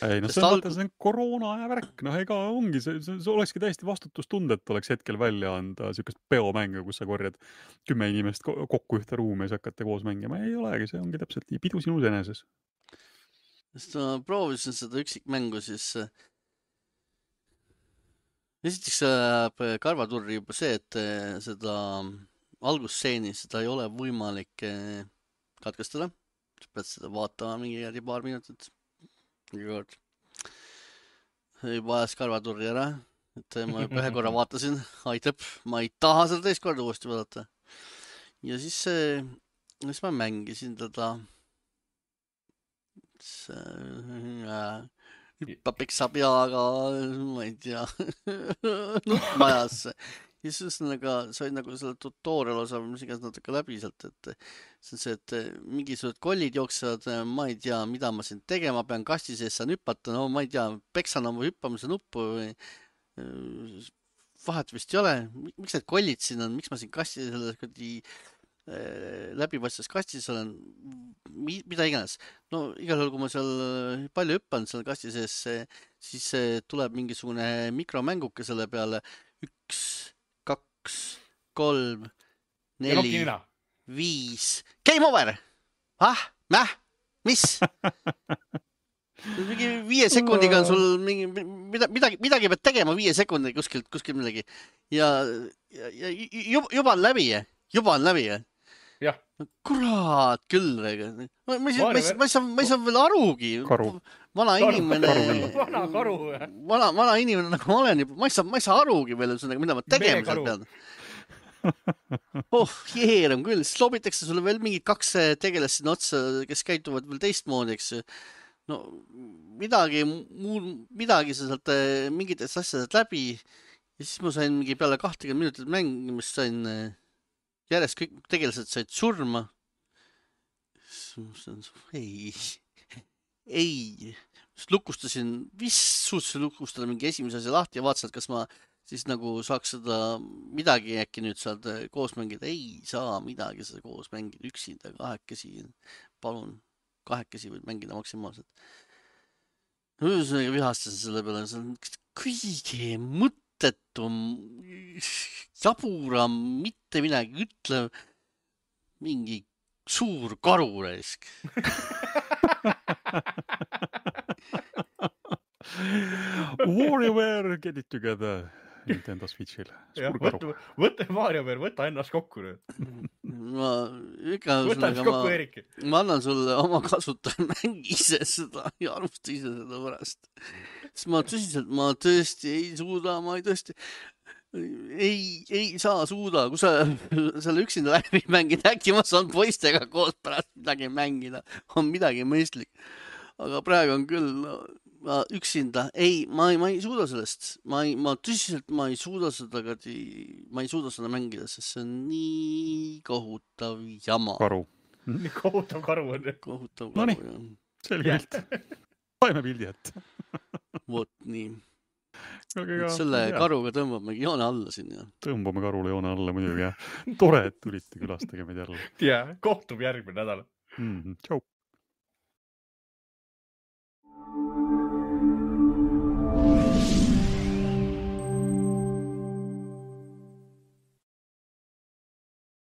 Ei, no see on koroona aja värk, ega ongi, see olekski täiesti vastutustundet oleks hetkel välja anda siukest peomängu, kus sa korjad 10 inimest kokku ühte ruumi ja siis hakkate koos mängima. Ei olegi, see ongi täpselt nii pidu sinus eneses. Sest ma proovisin seda üksikmängu, siis esiteks karvaturri juba see, et seda algusseeni, seda ei ole võimalik katkestada. Sa pead seda vaatama mingi paar minutit. Juba ajas karvaturri ära, et ma juba ühe korra vaatasin, aitab, ma ei taha seda teist korda uuesti vaadata. Ja siis ma mängisin teda hüppab peksa peaga, ma ei tea, nutmajasse. Ja siis sai nagu selle tutorial osa, mis igas natuke läbi sealt, et see on see, et mingisugused kollid jooksevad, ma ei tea, mida ma siin tegema pean, kasti sees saan hüppata, no ma ei tea, peksan oma hüppamise nuppu või vahet vist ei ole. Miks need kollid siin on, miks ma siin kasti selles läbipaistvas kastis olen, mida iganes. No igal juhul, kui ma seal palju hüppan seal kasti sees, siis tuleb mingisugune mikromänguke selle peale 1, 2, 3, 4, 5. Game over! Mis? Mingi 5 sekundiga on sul midagi pead tegema 5 sekundiga kuskil midagi. Ja juba on läbi. Jah. Kurat küll. Ma ei saa veel arugi. Vana inimene nagu ma olen juba. Ma ei saa arugi veel, mida ma tegema seal pean. Jeeram küll. Siis lobitakse sulle veel mingid 2 tegelast sinna otsa, kes käituvad veel teistmoodi, eks. No midagi sa sealt mingitest asjadest läbi. Ja siis ma sain mingi peale 20 minutit mängimist sain järjest kõik tegelased said surma. Ei. Lukustasin, suutsin lukustada mingi esimese asja lahti ja vaatasin, et kas ma siis nagu saaks seda midagi äkki nüüd saad koos mängida. Ei saa midagi seda koos mängida, üksinda, 2 palun, 2 võid mängida maksimaalselt. Vihastasin selle peale, see on kõige mõttetum, jaburam, mitte midagi ütlev, mingi suur karureisk. WarioWare, get it together Nintendo Switch'il. Võta WarioWare, võta ennast kokku nüüd. Võta ennast kokku, Eerik. Ma annan sulle oma kasutaja, mängi ise seda ja alusta ise seda pärast. Sest ma tõesti ei suuda, ei saa suuda, kui sa selle üksinda läbi mängid, äkki ma saan poistega koos pärast midagi mängida, on midagi mõistlik. Aga praegu on küll üksinda, ma ei suuda sellest, ma tõsiselt ei suuda seda mängida, sest see on nii kohutav jama. Karu. Nii kohutav karu on. Kohutav karu, jah. Selge pilt. Saime pildi ette. Vot nii. Selle karuga tõmbamegi joone alla siin. Tõmbame karule joone alla muidugi. Tore, et tulite külastage meid jälle. Ja, kohtub järgmine nädal. Tšau.